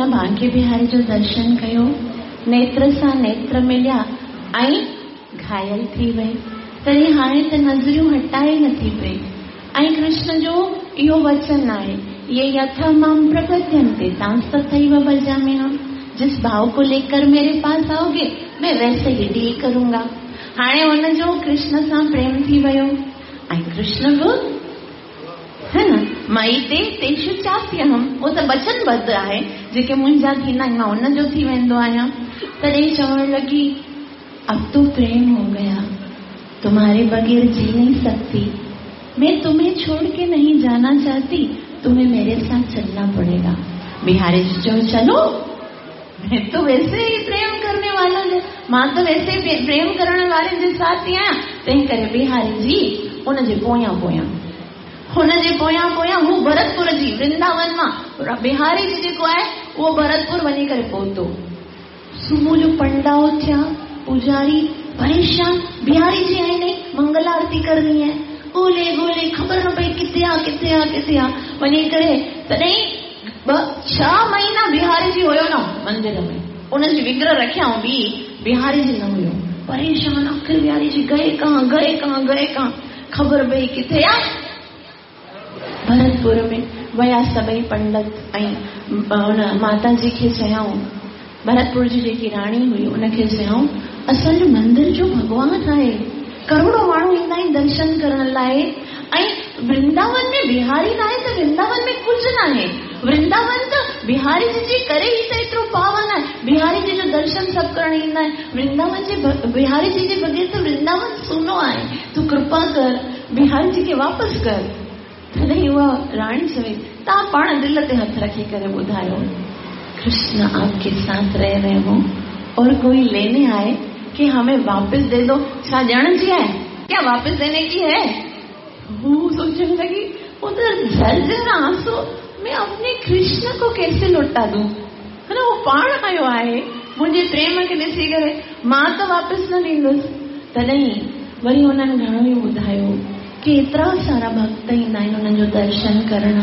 बांके बिहारी जो दर्शन कयो, नेत्र सां नेत्र मिलिया ऐं घायल थी वई। तॾहिं हाणे त नज़रियूं हटाए नथी पई। ऐं कृष्ण जो इहो वचन आहे, ये यथा मां प्रपद्यन्ते तांस्तथैव भजाम्यहम्। जिस भाव को लेकर मेरे पास आओगे मैं वैसे ही डील करूंगा। हाणे हुनजो कृष्ण सां प्रेम थी वियो ऐं कृष्ण बि है न मई ते तेषु चाप्यहम्, उहो त वचनबद्ध आहे, जेके मुंहिंजा थींदा आहिनि मां हुनजो थी वेंदो आहियां। तॾहिं चवण लॻी, अब तो प्रेम हो गया, तुम्हारे बगैर जी नहीं सकती, मैं तुम्हें छोड़ के नहीं जाना चाहती, तुम्हें मेरे साथ चलना पड़ेगा। बिहारी जी चयो चलो, मैं तो वैसे ही प्रेम करने वाला, मां त वैसे ही प्रेम करण वारे जे साथ ई आहियां। तंहिं करे बिहारी जी उनजे पोयां पोयां, हुनजे पोयां पोयां हू भरतपुर जी वृंदावन मां बिहारी जी जेको आहे उहो भरतपुर वञी करे पहुतो। सुबुह जो पंडाओ थिया, पुजारी परेशान, बिहारी जी आई नहीं, मंगल आरती करनी है, ॻोल्हे ॻोल्हे ख़बर न पई किथे आहे किथे आहे किथे आहे। वञी करे तॾहिं 6 महीना बिहारी जी हुयो न मंदिर में, उनजी विग्रह रखियाऊं बि बिहारी जी न हुयो। परेशान, आख़िर बिहारी जी गए कहाँ गए कहाँ गए कहाँ, ख़बर पई किथे आहे भरतपुर में। वया सभई पंडित ऐं हुन माता जी खे चयाऊं, भरतपुर जी जेकी राणी हुई उनखे चयाऊं, असांजो मंदिर जो भॻवान आहे, करोड़ों माण्हू ईंदा आहिनि दर्शन करण लाइ, ऐं वृंदावन में बिहारी न आहे त वृंदावन में कुझु न आहे। वृंदावन त बिहारी जी जे करे ई त एतिरो पावन आहे, बिहारी जी जो दर्शन सभु करण ईंदा आहिनि। वृंदावन जे बिहारी जी जे बग़ैर त वृंदावन सुनो आहे, तूं कृपा कर बिहारी जी खे वापसि कर। तॾहिं उहा राणी चवे, तव्हां पाण दिलि ते हथु रखी करे ॿुधायो, कृष्ण आपके साथ रह रहे हो और कोई लेने आए कि हमें वापस दे दो, छा ॾियण जी आहे क्या, वापस देने की है? वो सोचने लगी, उधर झरझर आंसू, मैं अपने कृष्ण को कैसे लौटा दूं, है ना, वो पाण आयो आहे मुंहिंजे प्रेम खे ॾिसी करे, मां त वापसि न ॾींदुसि। तॾहिं वरी हुननि घणो ई ॿुधायो कि एतिरा सारा भक्त ईंदा आहिनि हुननि जो दर्शन करण,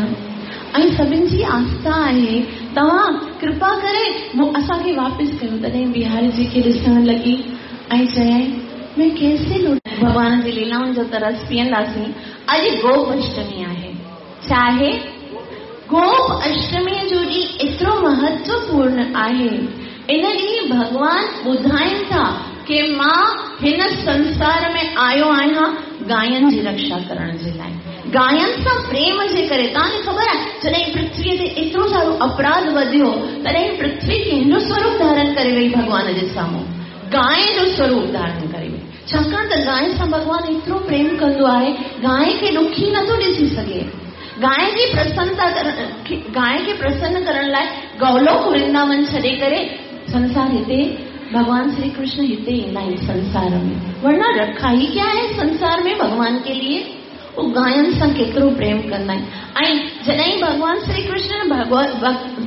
ऐं सभिनि जी आस्था आहे, तव्हां कृपा करे असांखे वापसि कयो। तॾहिं बिहारी जी खे ॾिसण लॻी ऐं चयाईं, मैं कैसे लौट। भॻवान जी लीलाउनि जो त रस पीअंदासीं। अॼु गोप अष्टमी आहे, छा आहे? गोप अष्टमीअ जो ॾींहुं एतिरो महत्वपूर्ण आहे। इन ॾींहुं भॻवान ॿुधाइनि था की मां हिन संसार में आयो आहियां गायनि जी रक्षा करण जे लाइ, गायनि सां प्रेम जे करे। तव्हांखे ख़बर आहे जॾहिं पृथ्वीअ ते एतिरो सारो अपराध वधियो तॾहिं पृथ्वी कंहिंजो स्वरूप धारण करे वई? भॻवान जे साम्हूं गाय जो स्वरूप धारण करे वई। छाकाणि त गाय सां भॻवानु एतिरो प्रेम कंदो आहे, गाय खे ॾुखी नथो ॾिसी सघे। गाय जी प्रसन्नता करण, गाय खे प्रसन्न करण लाइ गौलोक वृंदावन छॾे करे संसार हिते भगवान श्री कृष्ण हिते ईंदा आहिनि संसार में, वरना रखा ही क्या है संसार में भगवान के लिए। उहो गायनि सां केतिरो प्रेम कंदा आहिनि। ऐं जॾहिं भगवान श्री कृष्ण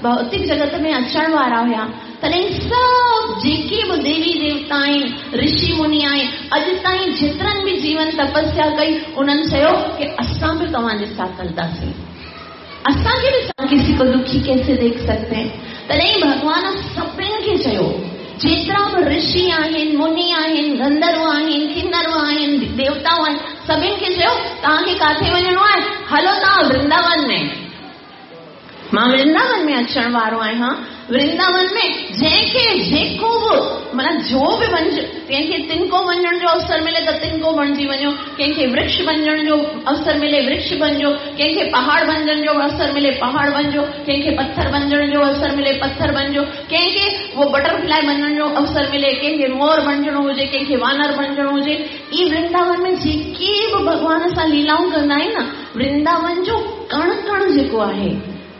भौतिक जगत में अचण वारा हुया तॾहिं सभु जेके बि देवी देवता आहिनि, ऋषि मुनि आहिनि, अॼु ताईं जेतिरनि बि जीवन तपस्या कई उन्हनि चयो की असां बि तव्हांजे साथ हलंदासीं, असांखे बि किसी को दुखी कैसे देख सकते हैं। तॾहिं भॻवान सभिनी खे चयो जेतिरा बि ऋषि आहिनि, मुनि आहिनि, गंधर्व आहिनि, किन्नर आहिनि, देवताऊं आहिनि, सभिनी खे चयो तव्हांखे किथे वञिणो आहे, हलो तव्हां वृंदावन में, मां वृंदावन में अचण वारो आहियां। वृंदावन में जंहिंखे जेको बि माना जो बि वञ, कंहिंखे तिनको वञण जो अवसर मिले त तिनको बणिजी वञो, कंहिंखे वृक्ष बणिजण जो अवसर मिले वृक्ष बणिजो, कंहिंखे पहाड़ बणिजण जो अवसर मिले पहाड़ बणिजो, कंहिंखे पथर बणिजण जो अवसर मिले पथर बणिजो, कंहिंखे उहो बटरफ्लाई बणिजण जो अवसर मिले, कंहिंखे मोर बणिजणो हुजे, कंहिंखे वानर बणिजणो हुजे। ई वृंदावन में जेके बि भॻवान सां लीलाऊं कंदा आहिनि न, वृंदावन जो कण कण जेको आहे,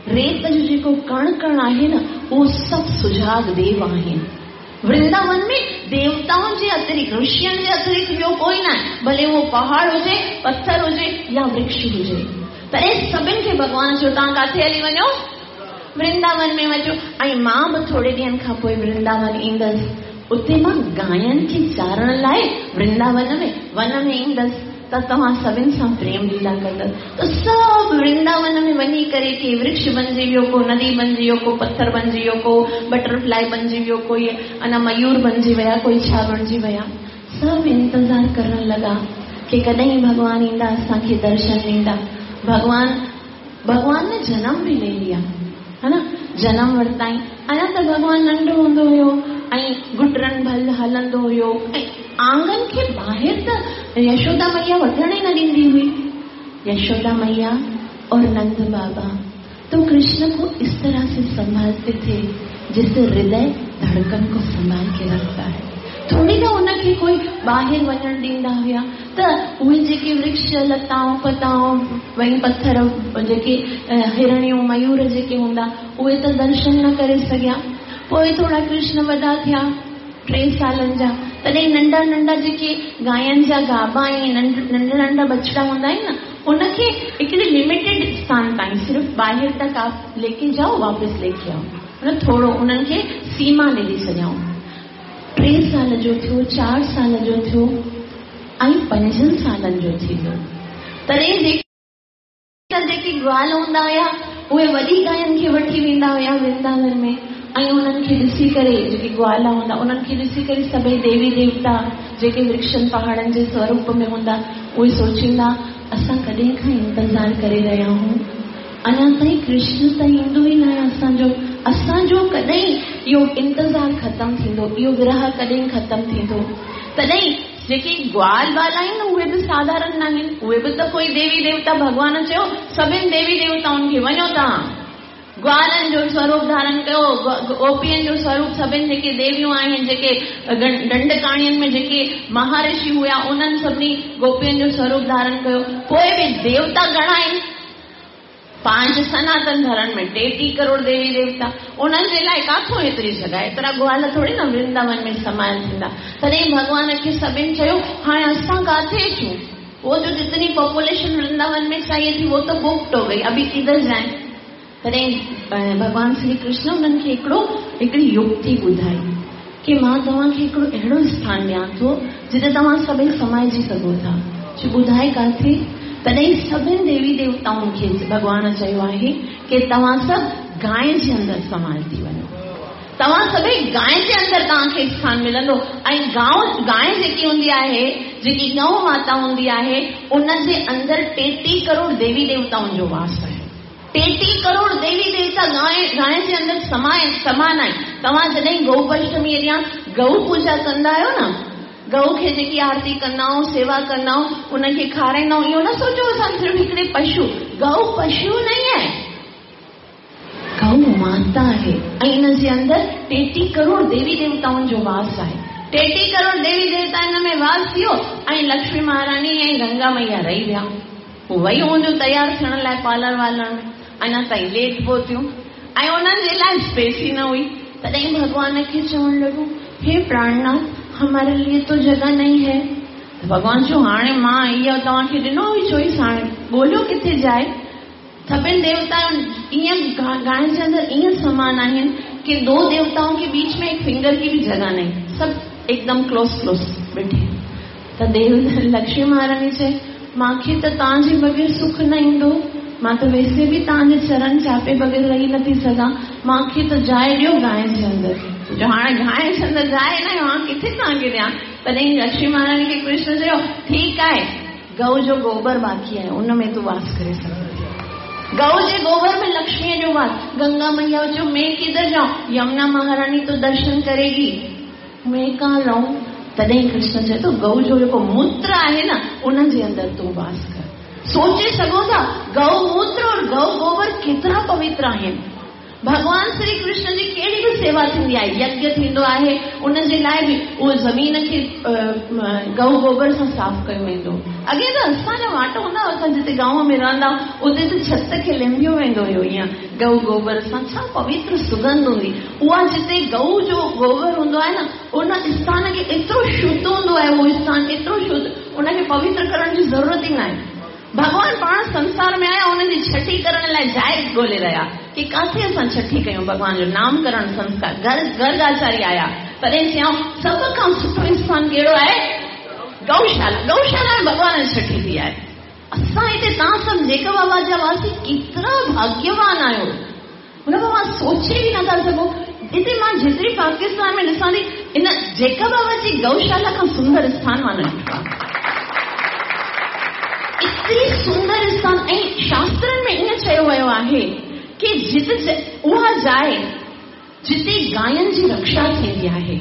रेत जो जेको कण कण आहे न, उहो सभु सुझाग देव आहिनि। वृंदावन में देवताउनि जे अतिरिक्त, ऋषियुनि जे अतिरिक्त ॿियो कोई न आहे, भले उहो पहाड़ हुजे, पथर हुजे या वृक्ष हुजे। तॾहिं सभिनी खे भॻवान चयो तव्हां किथे हली वञो, वृंदावन में वञो। ऐं मां बि थोरे ॾींहंनि खां पोइ वृंदावन ईंदसि, उते मां गायनि खे चारण लाइ वृंदावन में वन में ईंदसि त तव्हां सभिनी सां प्रेम लीला कंदसि। त सभु वृंदावन में वञी करे के वृक्ष बणिजी वियो, को नदी बणिजी वियो, को पथर बणिजी वियो, को बटरफ्लाई बणिजी वियो, कोई अना मयूर बणिजी विया, कोई छा बणिजी विया। सभु इंतज़ार करण लॻा की कॾहिं भॻवान ईंदा, असांखे दर्शन ॾींदा। भॻवान ने जनम बि ले लिया, है ना, जनम वरिताई। अञा त भॻवान नंढो हूंदो हुयो ऐं गुटरनि भल हलंदो हुयो ऐं आंगन खे ॿाहिरि त यशोदा मैया वठण ई न ॾींदी हुई। यशोदा मैया और नंद बाबा तो कृष्ण को इस तरह से संभालते थे जिससे हृदय धड़कन को संभाल के रखता है। थोड़ी न उनखे कोई ॿाहिरि वञण ॾींदा हुया त उहे जेके वृक्ष लताऊं पताऊं वई पथर जेके हिरणियूं मयूर जेके हूंदा उहे त दर्शन न करे सघिया। पोइ थोरा कृष्ण वॾा थिया 3 सालनि जा, तॾहिं नंढा नंढा जेके गायनि जा गाभा ऐं नंढा नंढा बछड़ा हूंदा आहिनि न, उनखे हिकिड़ी लिमिटेड स्थान ताईं सिर्फ़ ॿाहिरि तक आप लेके जाओ वापसि लेके आओ, मतलब थोरो उन्हनि खे सीमा ॾेई छॾियऊं। 3 साल जो थियो, 4 साल जो थियो ऐं 5 सालनि जो थी वियो। तॾहिं जेके ग्वाल हूंदा हुया उहे वॾी गायनि खे वठी वेंदा हुया वृंदावन में ऐं उन्हनि खे ॾिसी करे जेके ग्वाला हूंदा उन्हनि खे ॾिसी करे सभई देवी देवता जेके वृक्षनि पहाड़नि जे स्वरूप में हूंदा उहे सोचींदा असां कॾहिं खां इंतज़ार करे रहिया आहियूं, अञा ताईं कृष्ण त ईंदो ई न आहे असांजो, असांजो कॾहिं इहो इंतज़ार ख़तमु थींदो, इहो विरह कॾहिं ख़तमु थींदो। तॾहिं जेके ग्वाल बाल आहिनि उहे बि साधारण न आहिनि, उहे बि त कोई देवी देवता, भॻवान चयो सभिनी देवी देवताउनि खे वञो तव्हां ग्वालनि जो स्वरूप धारण कयो, गोपियनि जो स्वरूप, सभिनी जेके देवियूं आहिनि, जेके दंडकाणियुनि में जेके महाऋषि हुया उन्हनि सभिनी गोपियनि जो स्वरूप धारण कयो। पोइ बि देवता घणा आहिनि, 5 सनातन धर्म में 33 करोड़ देवी देवता, उन्हनि जे लाइ काथों एतिरी जॻह, एतिरा ग्वाल थोरी न वृंदावन में समायल थींदा। तॾहिं भॻवान खे सभिनी चयो हाणे असां काथे अचूं, वो जो जितनी पॉपुलेशन वृंदावन में चाहिए थी वो तो बुक्ड हो गई, अभी किधर जाए। तॾहिं भॻवान श्री कृष्ण उन्हनि खे हिकिड़ी युक्ति ॿुधाई की मां तव्हांखे हिकिड़ो अहिड़ो स्थान ॾियां थो जिते तव्हां सभई समाइजी सघो था। चयो ॿुधाए काथे? तॾहिं सभिनी देवी देवताउनि खे भॻवान चयो आहे की तव्हां सभु गाय जे अंदरि समाइल थी वञो, तव्हां सभई गाय जे अंदरि तव्हांखे स्थान मिलंदो। ऐं गाय जेकी हूंदी आहे, जेकी गौ माता हूंदी आहे, उन जे अंदरि 33 करोड़ देवी देवताउनि जो वास आहे। 33 करोड़ देवी देवता गाय जे अंदरि समान आहिनि। तव्हां जॾहिं गौ पंचमी ॾींहुं गौ पूजा कंदा आहियो न, गौ खे जेकी आरती कंदा आहियूं, सेवा कंदा आहियूं, उनखे खाराईंदा आहियूं, इहो न सोचो असां सिर्फ़ु हिकिड़े पशु, गौ पशु नहीं आहे, गौ माता आहे ऐं इन जे अंदरि 33 करोड़ देवी देवताउनि जो वास आहे। 33 करोड़ देवी देवता हिन में वास थियो ऐं लक्ष्मी महारानी ऐं गंगा मैया रही विया। पोइ वई हूंदियूं तयारु थियण लाइ पार्लर वार्लर में, अञा ताईं लेट पहुतियूं ऐं उन्हनि जे लाइ स्पेस ई न हुई। तॾहिं भॻवान खे चवणु लॻो, हे प्राणनाथ, हमारे लिए तो जगह नहीं है। त भॻवान चयो, हाणे मां इहो तव्हांखे ॾिनो हुई चॉइस, हाणे ॻोल्हियो किथे जाए। सभिनी देवताउनि ईअं गाय जे अंदरि ईअं समान आहिनि कि दो देवताओं के बीच में एक फिंगर की भी जगह नहीं, सब एकदम क्लोज क्लोज बैठे। त देव लक्ष्मी महारानी चए, मूंखे त तव्हांजे बग़ैर सुख न ईंदो, मां त वैसे बि तव्हांजे चरण चापे बग़ैर रही नथी सघां, मूंखे त जाइ ॾियो गाय जे अंदरि। जो हाणे गाय जे अंदरि जाइ न, मां किथे तव्हांखे ॾियां? तॾहिं लक्ष्मी महारानी खे कृष्ण चयो, ठीकु आहे, गऊ जो गोबर बाक़ी आहे, उन में तूं वास करे सघे। गऊ जे गोबर में लक्ष्मीअ जो वास। गंगा मैया चयो, मैं किधर जाऊं? यमुना महारानी तो दर्शन करेगी, मैं कहाँ रहूं? तॾहिं कृष्ण चए थो, गऊ जो जेको मूत्र आहे न, उन जे अंदरि तूं वास कर। सोचे सघो था, गऊ मूत्र और गऊ गोबर केतिरा पवित्र आहिनि। भॻवान श्री कृष्ण जी कहिड़ी बि सेवा थींदी आहे, यज्ञ थींदो आहे, उन जे लाइ बि उहो ज़मीन खे गऊ गोबर सां साफ़ कयो वेंदो। अॻे त असांजा वाट हूंदा हुआ, असां जिते गांव में रहंदा उते त छत खे लिंबियो वेंदो हुयो ईअं गऊ गोबर सां, छा पवित्र सुगंध हूंदी उहा। जिते गऊ जो गोबर हूंदो आहे न, उन स्थान खे एतिरो शुद्ध हूंदो आहे, उहो स्थान एतिरो शुद्ध, उनखे पवित्र करण जी ज़रूरत ई न आहे। भॻवान पाण संसार में आया, उन्हनि जी छठी करण लाइ जाइ ॻोल्हे रहिया कि किथे असां छठी कयूं, भॻवान जो नामकरण संस्कार। गर्गाचार्य आया, तॾहिं चयऊं सभ खां सुठो स्थान कहिड़ो आहे? गौशाला। गौशाला में भॻवान जी छठी थी आहे। असां हिते तव्हां सभु जेकब आबाद जा वासी केतिरा भाग्यवान आहियो, हुन मां सोचे बि नथा सघो। हिते मां जेतिरी पाकिस्तान में ॾिसां थी, इन जेकब आबाद जी गौशाला खां सुंदर स्थान मां न ॾिठो आहे। एतिरी सुंदर स्थान। ऐं शास्त्रनि में ईअं चयो वियो आहे की जिते उहा जाइ जिते गायनि जी रक्षा थींदी आहे,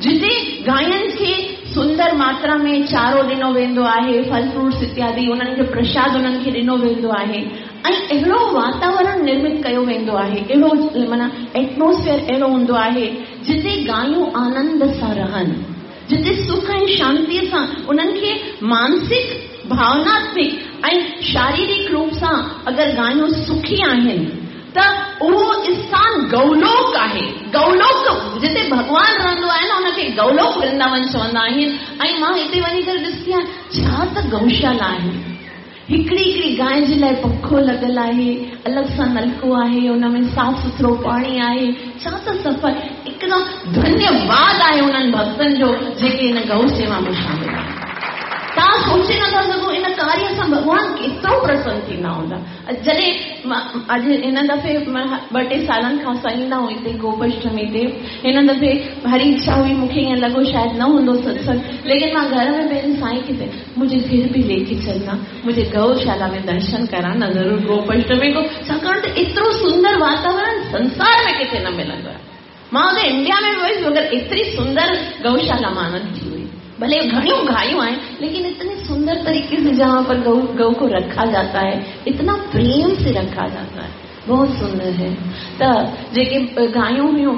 जिते गायनि खे सुंदर मात्रा में चारो ॾिनो वेंदो आहे, फल फ्रूट्स इत्यादि, उन्हनि खे प्रसाद उन्हनि खे ॾिनो वेंदो आहे ऐं अहिड़ो वातावरण निर्मित कयो वेंदो आहे, अहिड़ो माना एटमॉस्फियर अहिड़ो हूंदो आहे जिते गायूं आनंद सां रहनि, जिते सुख ऐं शांतीअ सां उन्हनि खे मानसिक, भावनात्मिक ऐं शारीरिक रूप सां अगरि गायूं सुखी आहिनि त उहो स्थान गौलोक आहे। गौलोक जिते भॻवान रहंदो आहे न, उनखे गौलोक वृंदावन चवंदा आहिनि। ऐं मां हिते वञी करे ॾिसंदी आहियां, छा त गौशाला आहे। हिकिड़ी हिकिड़ी गाय जे लाइ पखो लॻल आहे, अलॻि सां नलको आहे, उन में साफ़ सुथरो पाणी आहे, छा त सफ़ाई। एकदम धन्यवाद आहे उन्हनि भक्तनि जो जेके हिन गौ सेवा में शामिल आहिनि। तव्हां सोचे नथा सघो इन कार्य सां भॻवान केतिरो प्रसन्न थींदा हूंदा। जॾहिं अॼु हिन दफ़े ॿ टे सालनि खां असां ईंदा आहियूं हिते गोपाष्टमी ते, हिन दफ़े हरी इच्छा हुई, मूंखे ईअं लॻो शायदि न हूंदो सत्संग, लेकिन मां घर में पंहिंजे साईं खे चयो, मुझे फिर भी लेके चलना, मुझे गौशाला में दर्शन कराना ज़रूर गोपाष्टमी को, छाकाणि त एतिरो सुंदर वातावरण संसार में किथे न मिलंदो आहे। मां हुते इंडिया में बि वियुसि, मगर एतिरी सुंदर गौशाला मां न ॾिठी हुई। भले घणियूं गायूं आहिनि, लेकिन इतने सुंदर तरीके से जहाँ पर गौ गौ को रखा जाता है, इतना प्रेम से रखा जाता है, बहुत सुंदर है। त जेके गायूं हुयूं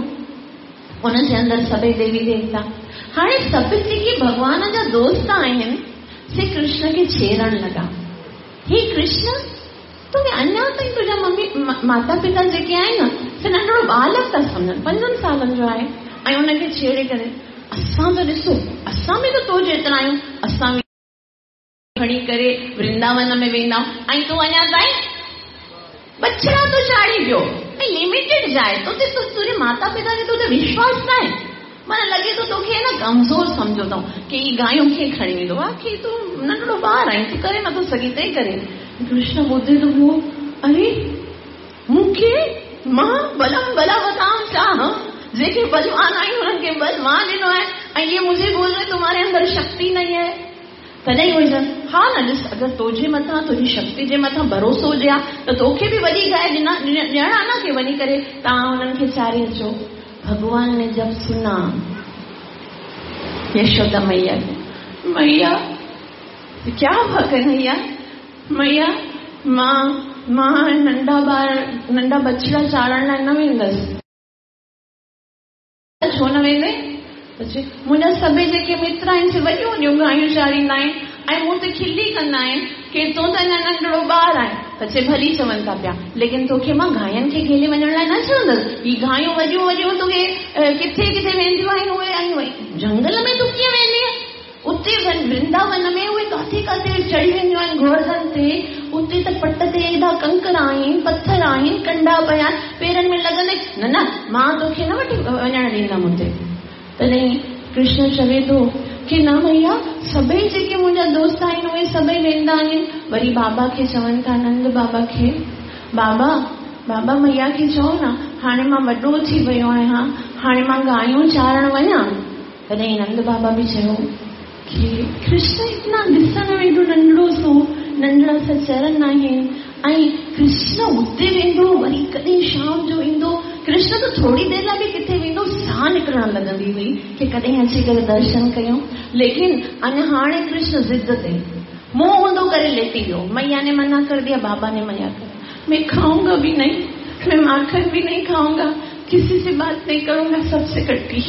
उन जे अंदरि सभई देवी देवता, हाणे सभु जेके भॻवान जा दोस्त आहिनि से कृष्ण खे छेड़ण लॻा, हे कृष्ण, तोखे अञा ताईं तुंहिंजा मम्मी माता पिता जेके आहिनि न, से नंढड़ो बालक था सम्झनि, 5 सालनि जो आहे, ऐं उनखे छेड़े करे असां त ॾिसो, असां बि त तो जेतिरा आहियूं, असां बि खणी करे वृंदावन में वेंदा आहियूं, ऐं तूं अञा ताईं बछड़ा थो चाढ़ी पियो, ऐं लिमिटेड जाइ, तोते तुंहिंजे माता पिता खे तोते विश्वास न आहे, माना लॻे थो तोखे न कमज़ोर सम्झो अथऊं की ही गायूं खे खणी वेंदो आहे, की तूं नंढड़ो ॿार आहीं, तूं करे नथो सघीं, तंहिं करे। कृष्ण ॿुधे थो पियो, अरे मूंखे मां बलम बलवताम चाह, जेके बलवान आहिनि उन्हनि खे बल मां ॾिनो आहे, ऐं इहे मुझे बोल रहे तुम्हारे अंदर शक्ति नहीं है। तॾहिं उहे चवनि, हा न ॾिस, अगरि तुंहिंजे मथां, तुंहिंजी शक्ति जे मथां भरोसो हुजे हा त तोखे बि वॾी गाइ ॾिना ॾियणा न की वञी करे तव्हां हुननि खे चारे अचो। भॻवान ने जब सुना यशोदा मैया, मैया क्या हुआ कन्हैया, मैया मां मां नंढा ॿार नंढा बछड़ा चारण लाइ न वेंदसि। छो न वेंदे? मुंहिंजा सभई जेके मित्र आहिनि से वॾियूं वॾियूं गायूं चारींदा आहिनि ऐं मूं ते खिली कंदा आहिनि की तूं त अञा नंढड़ो ॿार आहे। त चए भली चवनि था पिया, लेकिन तोखे मां गायुनि खे खेले वञण लाइ न चवंदसि। ही गायूं वॾियूं वॾियूं तोखे किथे किथे वेंदियूं आहिनि उहे, ऐं जंगल में तूं कीअं वेंदीअ? उते वृंदावन में उहे काथे काथे चढ़ी वेंदियूं आहिनि गोवर्धन ते, उते त पट ते एॾा कंकर आहिनि, पथर आहिनि, कंडा पिया आहिनि, पेरनि में लॻंदे। न न, मां तोखे न वठी वञण ॾींदमि हुते। तॾहिं कृष्ण चवे थो की न भैया, सभई जेके मुंहिंजा दोस्त आहिनि उहे सभई वेंदा आहिनि। वरी बाबा खे चवनि था, नंद बाबा खे, बाबा बाबा मैया खे चओ न, हाणे मां वॾो थी वियो आहियां, हाणे मां गायूं चारण वञा। तॾहिं नंद बाबा बि चयो की कृष्ण इतना ॾिसण में एॾो नंढड़ो सो, नंढड़ा सा चरण आहिनि, ऐं कृष्ण उते वेंदो, वरी कॾहिं शाम जो ईंदो। कृष्ण त थोरी देरि लाइ बि किथे वेंदो, साह निकिरण लॻंदी हुई की कॾहिं अची करे दर्शन कयूं। लेकिन अञा हाणे कृष्ण ज़िद ते मुंहुं ऊंधो करे लेटी वियो। मैया ने मना कर दिया, बाबा ने मना कर, मैं खाऊंगा भी नहीं, मैं माखन भी नहीं खाऊंगा, किसी से बात नहीं करूंगा, सबसे कट्टी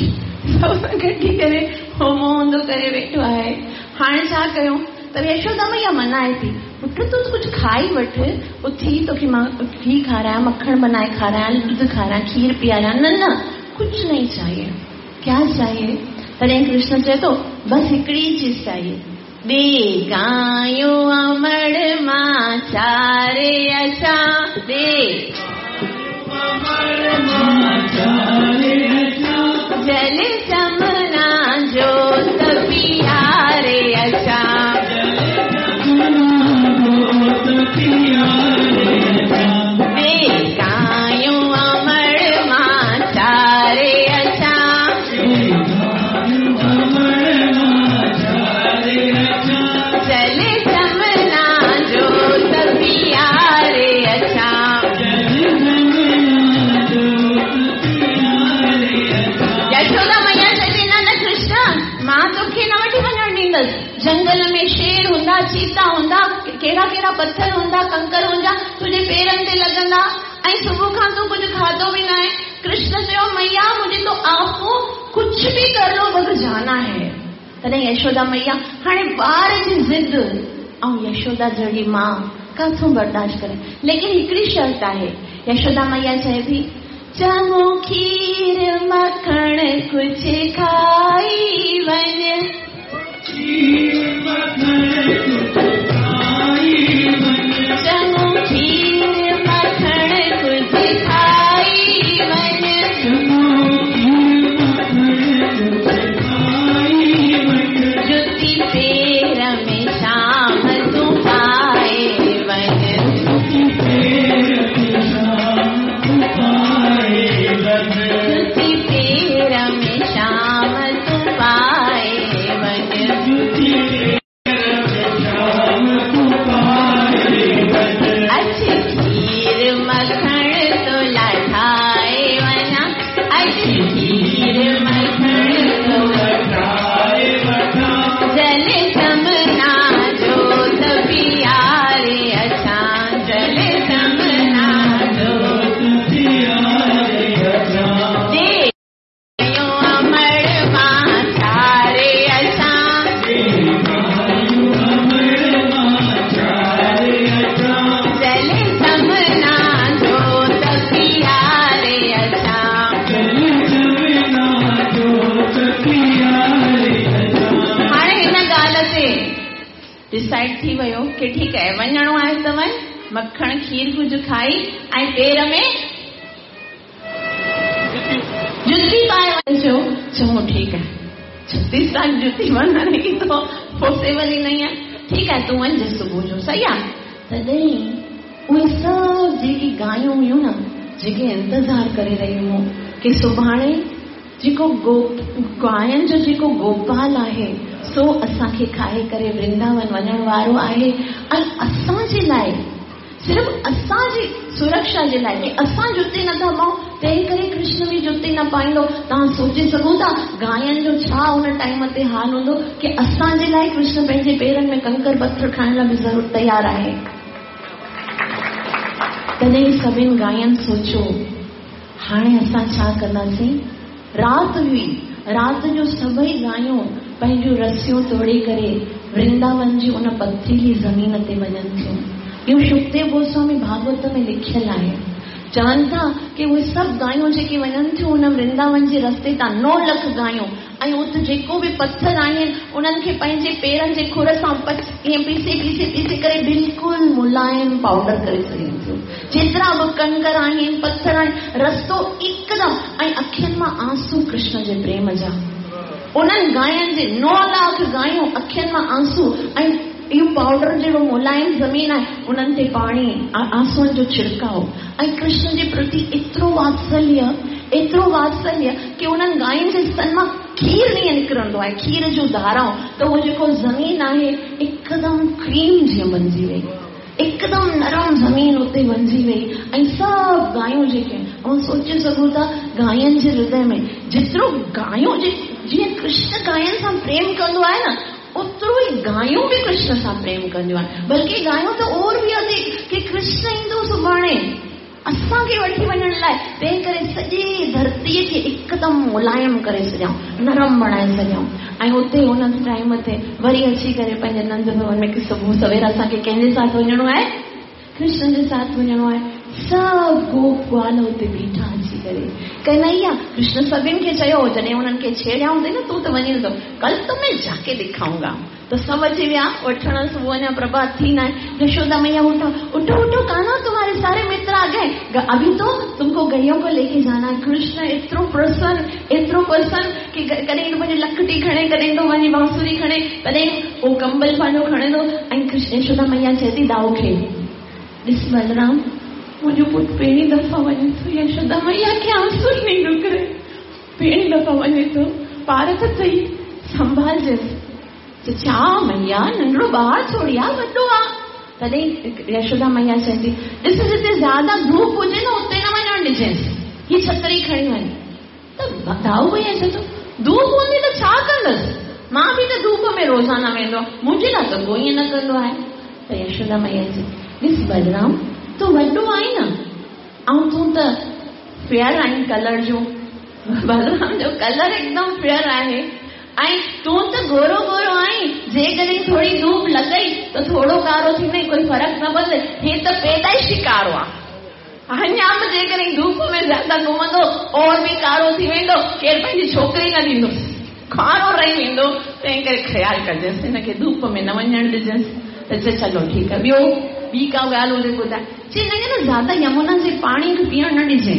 सबसे कट्टी करे हो मुंहुं ऊंधो करे वेठो आहे। हाणे छा कयूं? त यशोदा मैया मनाए थी, पुट तूं कुझु खाई वठि, उथी तोखे मां घी खारायां, मक्खण बनाए खारायां, दूध खारायां, खीर पीआरियां। न न, कुझु नहीं चाहिए। क्या चाहिए? तॾहिं कृष्ण चए थो, बसि हिकिड़ी चीज़ चाहिए, ॾे गायूं अमड़ मां चारे अचां, ॾे जल जमुना जोत पियारे अचां, ॾे गायूं अमड़ मां चारे अचां, जल जमुना जोत पियारे अचां। यशोदा मैया चए थी, न न कृष्ण, मां तोखे न वठी वञण ॾींदसि। जंगल में शेर हूंदा, चीता हूंदा, कहिड़ा कहिड़ा पथर हूंदा, कंकर हूंदा, तुंहिंजे पेरनि ते लॻंदा, ऐं सुबुह खां तूं कुझु खाधो बि न आहे। कृष्ण चयो, मैया मुझे तो आपको कुछ भी कर लो, मगर जाना है। तॾहिं यशोदा मैया हाणे ॿार जी ज़िद ऐं यशोदा जहिड़ी मां काथों बर्दाश्त करे। लेकिन हिकिड़ी शर्त आहे। यशोदा मैया चए थी, चङो खीर मखण कुझु खाई वञ, चङो खीर मखण कुझु खाई वञ, जुती पेर में शाम तूं पाए वञ, जुती पेर में शाम तूं पाए वञ। अच खीर मखण तो ठाए वञा, अच खीर मखण तो जल जमुना जोत पियारे अचां, जल जमुना जोत दे अमर मां चारे अचां, जल जमुना जोत पियारे अचां। हाणे हिन ॻाल्हि ते डिसाइड थी वियो की ठीकु आहे, वञिणो आहे त वञ, मखण खीर कुझु खाई ऐं पेर में जुती पाए वञ। चयो, चङो ठीकु आहे, 36 साल जुती वञण ई तो पॉसिबल ई नहीं आहे, ठीकु आहे, तूं वञ सुबुह जो, सही आहे। तॾहिं उहे सभु जेकी गायूं हुयूं न, जेके इंतज़ार करे रहियूं हुयूं की सुभाणे जेको गायुनि जो जेको गोपाल आहे, सो असांखे खाए करे वृंदावन वञण वारो आहे। ऐं असांजे लाइ सिर्फ़ असांजी सुरक्षा जे लाइ की असां जुते नथा पाऊं, तंहिं करे कृष्ण बि जुते न पाईंदो। तव्हां सोचे सघो था गायनि जो छा उन टाइम ते हाल हूंदो की असांजे लाइ कृष्ण पंहिंजे पेरनि में कंकर पथर खाइण लाइ बि ज़रूरु तयारु आहे। तॾहिं सभिनी गायनि सोचियो हाणे असां छा कंदासीं। राति हुई, राति जो सभई गायूं पंहिंजूं रसियूं तोड़े करे वृंदावन जी उन पथरीली ज़मीन ते वञनि थियूं। इहो सुखदेव गोस्वामी भागवत में लिखियलु आहे। चवनि था की उहे सभु गायूं जेके वञनि थियूं उन वृंदावन जे रस्ते तां 9 लख गायूं, ऐं उते जेको बि पथर आहिनि उन्हनि खे पंहिंजे पेरनि जे खुर सां ईअं पीसे पीसे पीसे करे बिल्कुलु मुलाइम पाउडर करे छॾीनि थियूं। जेतिरा बि कंकर आहिनि पथर आहिनि, रस्तो एकदम, ऐं अखियुनि मां आंसू कृष्ण जे प्रेम जा। उन्हनि गायनि जे 9 लाख गायूं अखियुनि मां आंसू, ऐं इहो पाउडर जहिड़ो मुलाइम ज़मीन आहे उन्हनि ते पाणी आंसुअनि जो छिड़काव। ऐं कृष्ण जे प्रति एतिरो वात्सल्य की उन्हनि गायुनि जे स्तन मां खीर ईअं निकिरंदो आहे, खीर जूं धाराऊं, त उहो जेको ज़मीन आहे एकदम क्रीम जीअं बणिजी वई, एकदम नरम ज़मीन उते बणिजी वई। ऐं सभु गायूं जेके ऐं सोचे सघूं था गायनि जे हृदय में जेतिरो गायूं जीअं कृष्ण गायनि सां प्रेम कंदो आहे न, ओतिरो ई गायूं बि कृष्ण सां प्रेम कंदियूं आहिनि। बल्कि गायूं त और बि अधिक की कृष्ण ईंदो सुभाणे असांखे वठी वञण लाइ, तंहिं करे सॼी धरतीअ खे एकदम मुलाइम करे छॾियऊं, नरम बणाए छॾियऊं। ऐं उते उन टाइम ते वरी अची करे पंहिंजे नंद भवन में सुबुह सवेर असांखे कंहिंजे साथ वञिणो आहे? कृष्ण जे साथ वञिणो आहे। सभु गोप ग्वाल उते बीठा अची करे कन्हैया, कृष्ण सभिनी खे चयो, जॾहिं उन्हनि खे छेड़ियऊं न तूं त वञी नथो, कल तो मैं जाके दिखाऊंगा। त सभु अची विया वठण, सुबुह अञा प्रभात थी न आहे। यशोदा मैया उठो उठो उठो, कान्हा तुम्हारे सारे मित्र आ गए, अभी तो तुमको गैयों को लेके जाना है। कृष्ण एतिरो प्रसन्न की कॾहिं पंहिंजी लकड़ी खणे, कॾहिं थो वञी बांसुरी खणे, कॾहिं उहो कंबल पंहिंजो खणे थो। ऐं कृष्ण यशोदा मैया चए थी दाऊ खे, ॾिस बलराम मुंहिंजो पुटु पहिरीं दफ़ा वञे थो, यशोदा मैया खे आंसू नहीं निकिरे, पहिरीं दफ़ा वञे थो, पारत अथई, संभालजंसि। त छा मैया नंढड़ो ॿार थोरी आहे, वॾो आहे। तॾहिं यशोदा मैया चए थी ॾिस जिते ज़्यादा धूप हुजे न उते न वञणु ॾिजंसि, हीअ छतरी खणी वञ। त दाऊ भैया चए थो धूप हूंदी त छा कंदसि, मां बि त धूप में रोज़ाना वेंदो आहियां, मुंहिंजे लाइ त को ईअं न कंदो आहे। त यशोदा मैया चए ॾिस बलराम तूं वॾो आहीं न, ऐं तूं त फेयर आहीं कलर जो, बलराम जो कलर एकदम फेयर आहे, ऐं तूं त गोरो गोरो आहीं, जेकॾहिं थोरी धूप लॻई त थोरो कारो थींदई, कोई फ़र्क़ु न पवंदो। हे त पैदाइशी कारो आहे, अञा बि जेकॾहिं धूप में ज़्यादा घुमंदो और बि कारो थी वेंदो, केरु पंहिंजी छोकिरी न ॾींदोसि, कारो रही वेंदो। तंहिं करे ख़्यालु कजंसि, हिनखे धूप में न वञणु ॾिजंसि। त चए चलो ठीकु आहे। ॿियो ॿी का ॻाल्हि हुजे ॿुधाए, चए हिनखे न ज़्यादा यमुना जे पाणी खे पीअण न ॾिजे।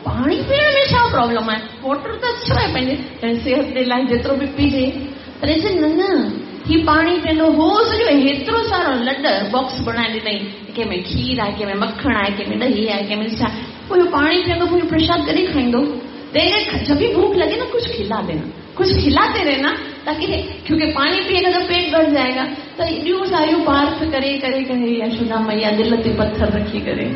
पाणी पीअण में छा प्रॉब्लम आहे? वाटर त अछो आहे पंहिंजे सिहत जे लाइ, जेतिरो बि पीजे। पर चए न न, हीउ पाणी पीअंदो हो सॼो हेतिरो सारो लॾ बॉक्स बणाए ॾिनई, कंहिंमें खीर आहे, कंहिंमें मखण आहे, कंहिंमें ॾही आहे, कंहिंमें छा। पोइ इहो पाणी पीअंदो, पोइ प्रसाद कॾहिं खाईंदो? तंहिं जब भी भूख लगे ना कुछ खिला देना, कुछ खिलाते रहना, ताकि क्योंकि पानी पिएगा तो पेट भर जाएगा। त एॾियूं सारियूं पार्थ करे करे करे यशोदा मैया दिल ते पत्थर रखी करे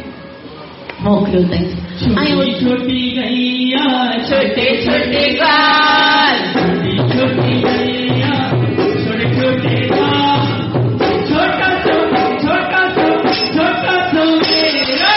मोकिलियो अथई। छोटी छोटी गैया छोटे छोटे ग्वाल, छोटी छोटी गैया छोटे छोटे ग्वाल, छोटा सो छोटा सो छोटा सो मेरा।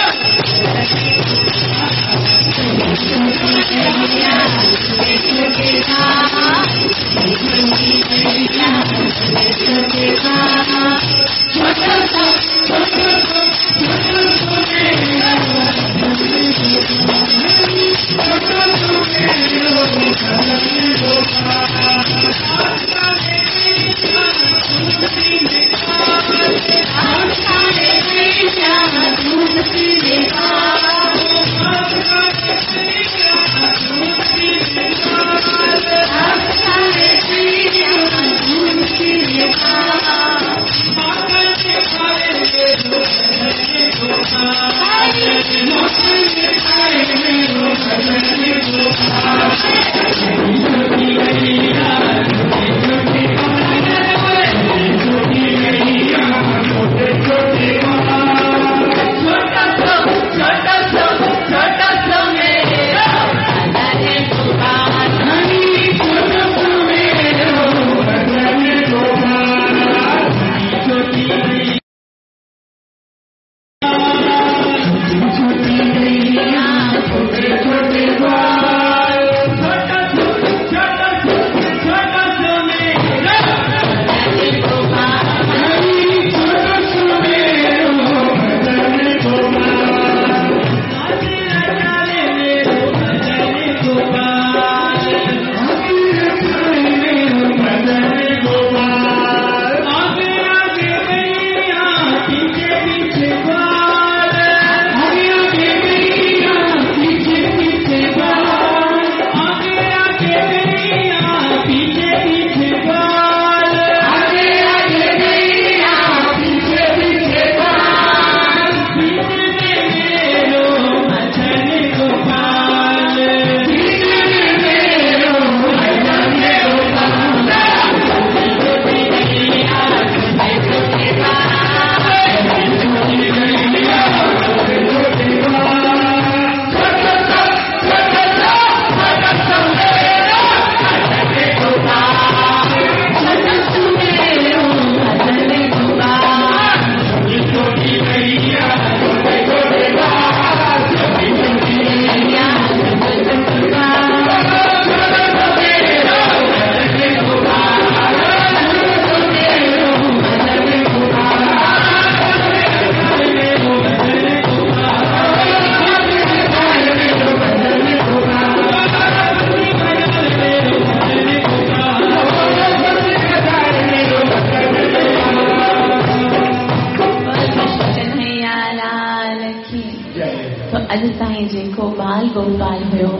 त अॼु ताईं जेको बाल गोपाल हुयो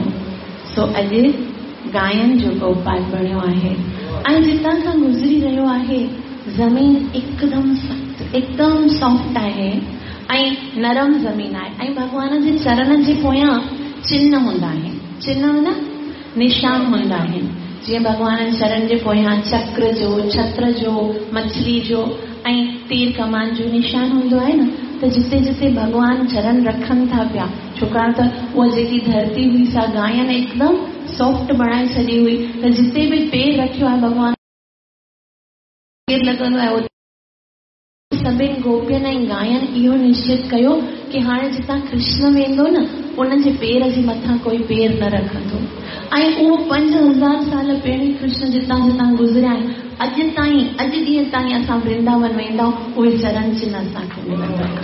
सो अॼु गायुनि जो गोपाल बणियो आहे। ऐं जितां खां गुज़री रहियो आहे ज़मीन एकदम सख़्तु एकदम सॉफ्ट आहे ऐं नरम ज़मीन आहे ऐं भॻवान जे चरणनि जे पोयां चिन्ह हूंदा आहिनि, चिन्ह माना निशान हूंदा आहिनि। जीअं भॻवान जे चरण जे पोयां चक्र जो, छत्र जो, मछली जो ऐं तीर कमान जो निशान हूंदो आहे न, त जिते जिते भॻवान चरण रखनि था पिया, छोकाण त उहा जेकी धरती हुई सा गायनि एकदम सॉफ्ट बणाए छॾी हुई, त जिते बि पेर रखियो आहे भॻवान पेर लॻंदो आहे। सभिनी गोपियुनि ऐं गायनि इहो निश्चित कयो की हाणे जितां कृष्ण वेंदो न उनजे पेर जे मथां कोई पेर न रखंदो। ऐं उहो 5000 साल पहिरीं कृष्ण जितां जितां गुज़रिया आहिनि, अॼु ताईं अॼु ॾींहं ताईं असां वृंदावन वेंदा आहियूं, उहे चरण चिन्ह असांखे मिलंदा आहिनि,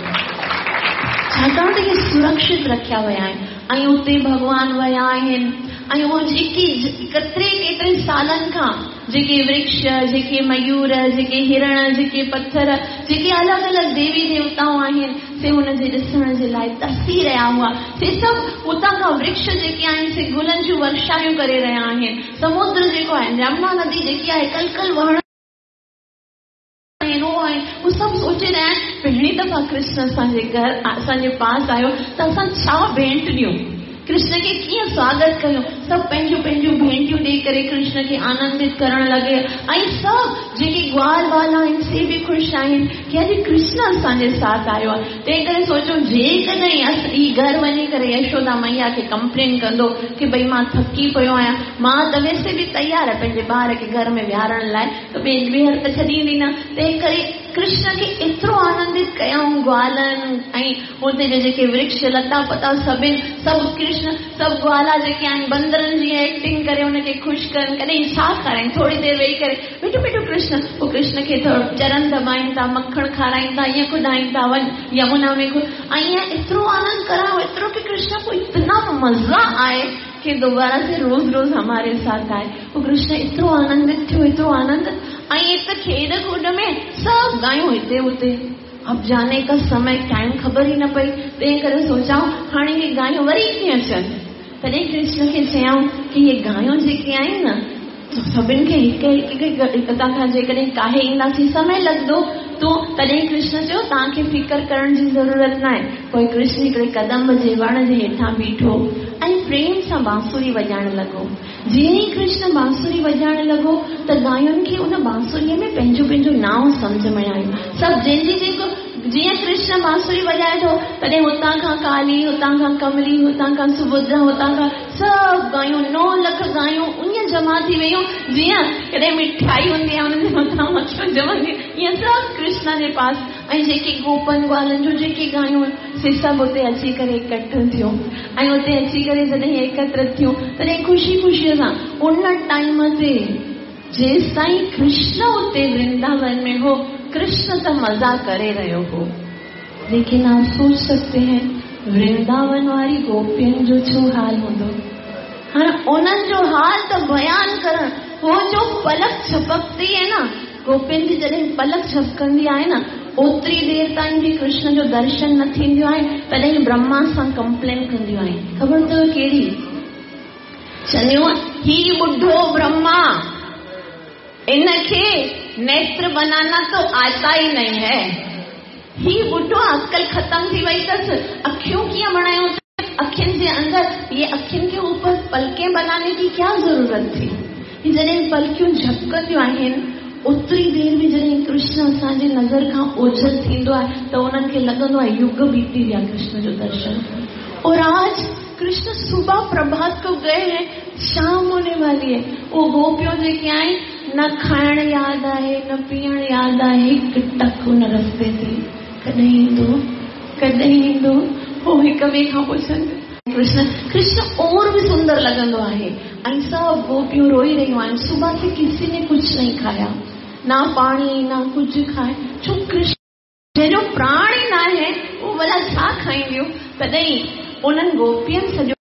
छाकाणि त इहे सुरक्षित रखिया विया आहिनि ऐं उते भॻवान विया आहिनि। ऐं उहो जेकी केतिरे केतिरे सालनि खां जेके वृक्ष, जेके मयूर, जेके हिरण, जेके पथर, जेके अलॻि अलॻि देवी देवताऊं आहिनि, से हुनजे ॾिसण जे लाइ तरसी रहिया हुआ। से सभु उतां खां वृक्ष जेके आहिनि से गुलनि जूं वर्षायूं करे रहिया आहिनि। समुद्र जेको आहे, यमुना नदी जेकी आहे कल कल वहण आहिनि, उहो सभु सोचे रहिया आहिनि पहिरीं दफ़ा कृष्ण असांजे घर असांजे पास आयो त असां छा भेंट ॾियूं, कृष्ण खे कीअं स्वागत कयूं। सभु पंहिंजूं पंहिंजूं भेंटियूं ॾेई करे कृष्ण खे आनंदित करण लॻे ऐं सभु जेके ग्वाल वाला आहिनि से बि ख़ुशि आहिनि की अॼु कृष्ण असांजे साथ आयो आहे। तंहिं करे सोचो जेकॾहिं हीउ घर वञी करे यशोदा मैया खे कंप्लेन कंदो की भई मां थकी पियो आहियां, मां त वैसे बि तयारु आहे पंहिंजे ॿार खे घर में विहारण लाइ, त ॿीहर त छॾींदी न। तंहिं करे कृष्ण खे एतिरो आनंदित कयऊं ग्वालनि ऐं हुते जा जेके वृक्ष लता पता सभिनि, सभु कृष्ण सभु ग्वाला जेके आहिनि बंदरनि जी एक्टिंग करे हुनखे ख़ुशि कनि, कॾहिं छा खाराइनि, थोरी देरि वेही करे मिठो मिठो कृष्ण, पोइ कृष्ण खे थोरो चरण दॿाइनि था, मखण खाराइनि था, ईअं कुॾाइनि था, वञ यमुना में ऐं ईअं एतिरो आनंद करायो, एतिरो की कृष्ण को इतना मज़ा आए कि दोबारा से रोज रोज हमारे साथ आए। पोइ कृष्ण एतिरो आनंदित थियो, एतिरो आनंद। ऐं हिते खेॾ कूद में सभु गायूं हिते हुते, अब जाने का समय टाइम ख़बर ई न पई। तंहिं करे सोचाऊं हाणे इहे गायूं वरी कीअं अचनि। तॾहिं कृष्ण खे चयऊं की इहे गायूं जेके आहिनि न सभिनि खे हिकु हिकु हितां खां जेकॾहिं काहे ईंदासीं समय लॻंदो। तो तॾहिं कृष्ण चयो तव्हांखे फ़िक्र करण जी ज़रूरत न आहे। पोइ कृष्ण हिकिड़े कदम जे वण जे हेठां बीठो ऐं प्रेम सां बांसुरी वॼाइण लॻो। जीअं ई कृष्ण बांसुरी वॼाइण लॻो त गायुनि खे उन बांसुरीअ में पंहिंजो पंहिंजो नांव सम्झ में आयो। सभु जंहिंजी जेको जीअं कृष्ण बांसुरी वॼाए थो तॾहिं हुतां खां काली, हुतां खां कमली, हुतां खां सुभद्रा, हुतां खां सभु गायूं 9 लख गायूं ईअं जमा थी वयूं जीअं कॾहिं मिठाई हूंदी आहे हुनजे मथां मखियूं ॼमंदी, ईअं सभु कृष्ण जे पास। ऐं जेके गोपन ग्वालनि जूं जेके गायूं से सभु हुते अची करे इकठो थियूं ऐं हुते अची करे जॾहिं एकत्र थियूं तॾहिं ख़ुशी ख़ुशीअ सां उन टाइम ते जेसि ताईं कृष्ण हुते वृंदावन में हो, कृष्ण त मज़ा करे रहियो हो। लेकिन आप सोच सकते हैं वृंदावन वारी गोपियुनि जो छो हाल हूंदो। हाणे उन्हनि जो हाल त बयान करण, हो जो पलक झपकती आहे न, गोपियुनि जी जॾहिं पलक झपकंदी आहे न ओतिरी देरि ताईं बि कृष्ण जो दर्शन न थींदो आहे, तॾहिं ब्रह्मा सां कंप्लेन कंदियूं आहिनि। ख़बर अथव कहिड़ी? चवंदियूं ही ॿुढो ब्रह्मा, इनखे नेत्र बनाना तो आता ही नहीं है, ही ॿुढो अकल ख़त्म थी वई अथसि, अखियूं कीअं बणायूं, अखियुनि जे अंदरि ये अखियुनि के ऊपर पलकें बनाने की क्या ज़रूरत थी। जॾहिं पलकियूं झपकंदियूं आहिनि ओतिरी देरि में जॾहिं कृष्ण असांजी नज़र खां ओझल थींदो आहे त उन्हनि खे लॻंदो आहे युग बीती विया कृष्ण जो दर्शन। और आज कृष्ण सुबह प्रभात को गए हैं, शाम होने वाली है। वो गोपियों जेके आहिनि न खाइण यादि आहे न पीअण यादि आहे, हिकु टक हुन रस्ते ते कॾहिं ईंदो कॾहिं ईंदो, पोइ हिक ॿिए खां पुछनि। कृष्ण कृष्ण और भी सुंदर लॻंदो आहे। ऐं सभु गोपियूं रोई रहियूं आहिनि, सुबह से किसी ने कुछ नहीं खाया, ना पाणी ना कुझु खाए, छो कृष्ण जंहिंजो प्राण ई न आहे उहो भला छा खाईंदियूं। तॾहिं उन्हनि गोपियुनि सॼो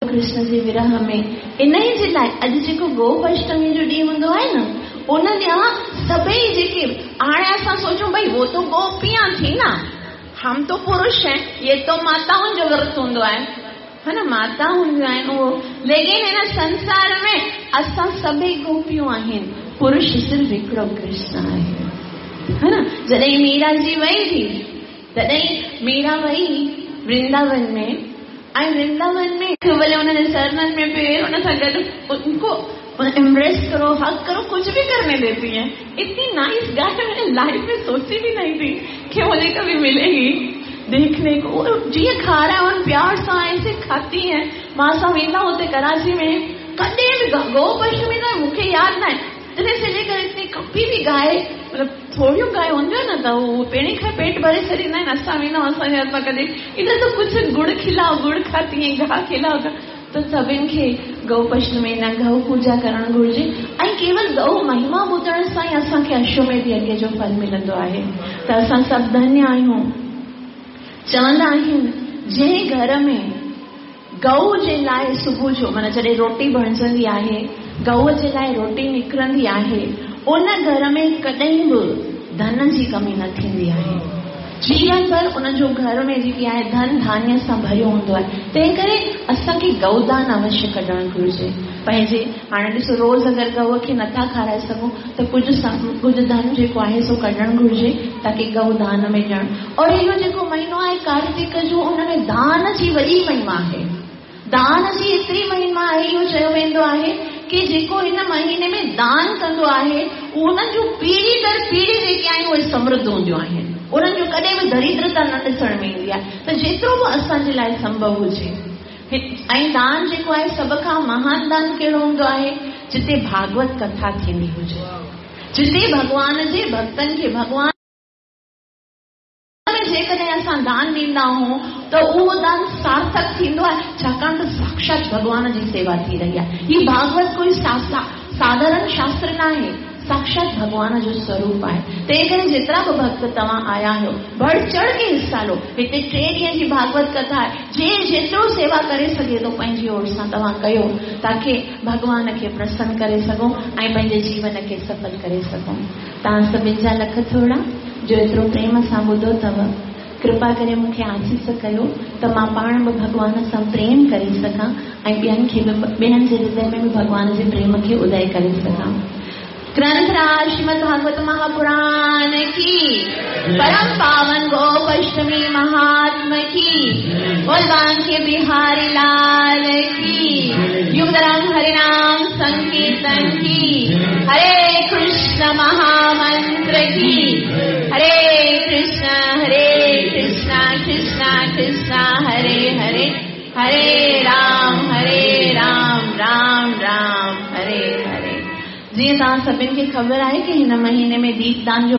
कृष्ण जे विरह में इन ई जे लाइ अॼु जेको गोप अष्टमी जो ॾींहुं हूंदो आहे न, उन ॾींहुं सभई जेके हाणे असां सोचूं भई वो तो गोपियां थी न, हम तो पुरुष हैं, ये तो माताउनि जो व्रत हूंदो आहे, है न, माता हूंदियूं आहिनि उहो। लेकिन हिन संसार में असां सभई गोपियूं आहिनि, पुरुष सिर्फ़ हिकिड़ो कृष्ण आहे, है न। जॾहिं मीरा जी वई थी, तॾहिं मीरा वई वृंदावन में, ऐं वृंदावन में भले उन्होंने चरणनि में पेर उन सां गॾु उनको एम्ब्रेस करो, हग करो, कुछ भी करने देती है। इतनी नाइस गाय मैंने लाइफ में सोची भी नहीं थी कि मुझे कभी मिलेगी देखने को। और जीअं खाराए प्यार सां ऐसे खाती है। मां सां वेंदा हुते कराची में, कॾहिं बि गोपाष्टमी त मूंखे यादि न आहे, तॾहिं से लेकर इतनी कभी भी गाय, मतलब थोड़ियूं गाय हूंदियूं आहिनि न, त उहो पहिरीं खां पेट भरे छॾींदा आहिनि। असां वेंदा असांजे हथ मां कॾहिं इधर तो कुछ गुड़ खिलाओ, गुड़ खाती है, घाह खिलाओ। त सभिनि खे गौपाष्टमी न गौ पूजा करणु घुरिजे ऐं केवल गौ महिमा ॿुधण सां ई असांखे अश्वमेध यज्ञ जो फल मिलंदो आहे। त असां सभु धन्य आहियूं। चवंदा आहिनि जंहिं घर में गौ जे लाइ सुबुह जो माना जॾहिं रोटी बणिजंदी आहे, गौ जे लाइ रोटी निकिरंदी आहे, उन घर में कॾहिं बि धन जी कमी न थींदी आहे। जीवन भर उन जो घर में जेकी आहे धन धान्य सां भरियो हूंदो आहे। तंहिं करे असांखे गौदान अवश्य कढणु घुरिजे। पंहिंजे हाणे ॾिसो, रोज़ अगरि गौ खे नथा खाराए सघूं त कुझु धन जेको आहे सो कढणु घुरिजे ताकी गौदान में ॾियणु। और इहो जेको महीनो आहे कार्तिक जो, उन में दान जी वॾी महिमा आहे। दान जी एतिरी महिमा आहे, इहो चयो वेंदो आहे की जेको हिन महीने में दान कंदो आहे, उन्हनि जूं पीढ़ी दर पीढ़ी जेकी आहिनि उहे समृद्ध हूंदियूं आहिनि, उन्हनि जो कॾहिं बि दरिद्रता न ॾिसण में ईंदी आहे। त जेतिरो बि असांजे लाइ संभव हुजे। ऐं दान जेको आहे सभ खां महान दान कहिड़ो हूंदो आहे? जिते भागवत कथा थींदी हुजे, जिते भॻवान जे भक्तनि खे भॻवान में जेकॾहिं असां दान ॾींदा आहियूं त उहो दान सार्थक थींदो आहे, छाकाणि त साक्षात भॻवान जी सेवा थी रही आहे। हीउ भागवत कोई साधारण शास्त्र न आहे, साक्षात भॻवान जो स्वरूप आहे। तंहिं करे जेतिरा बि भक्त तव्हां आया आहियो, बढ़ चढ़ के हिस्सा लो। हिते 3 ॾींहं जी भागवत कथा आहे, जे जेतिरो सेवा करे सघे थो पंहिंजी ओर सां तव्हां कयो, ताकी भॻवान खे प्रसन्न करे सघूं ऐं पंहिंजे जीवन खे सफल करे सघूं। तव्हां सभिनि जा लख थोरा जो एतिरो प्रेम सां ॿुधो अथव। कृपा करे मूंखे आसीस कयो त मां पाण बि भॻवान सां प्रेम करे सघां ऐं ॿियनि खे बि, ॿियनि जे हृदय में बि भॻवान जे प्रेम खे उदय करे सघां। ग्रंथराज श्रीमद् भागवत महापुराण की, परम पावन गोपाष्टमी महात्म की, बोल के बिहारी लाल की, युगधर्म हरिनाम संकीर्तन की, हरे कृष्ण महामंत्र की, हरे कृष्ण कृष्ण कृष्ण हरे हरे, हरे राम राम राम हरे हरे। जीअं तव्हां सभिनि खे ख़बर आहे की हिन महीने में दीपदान जो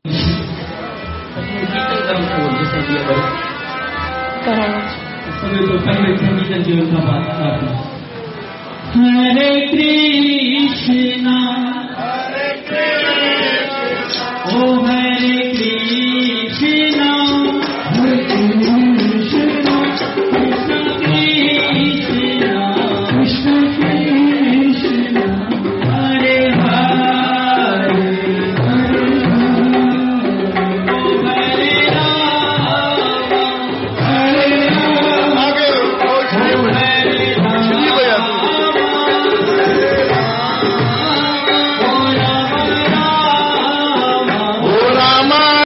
हरे कृष्णा, ओ हरे कृष्णा।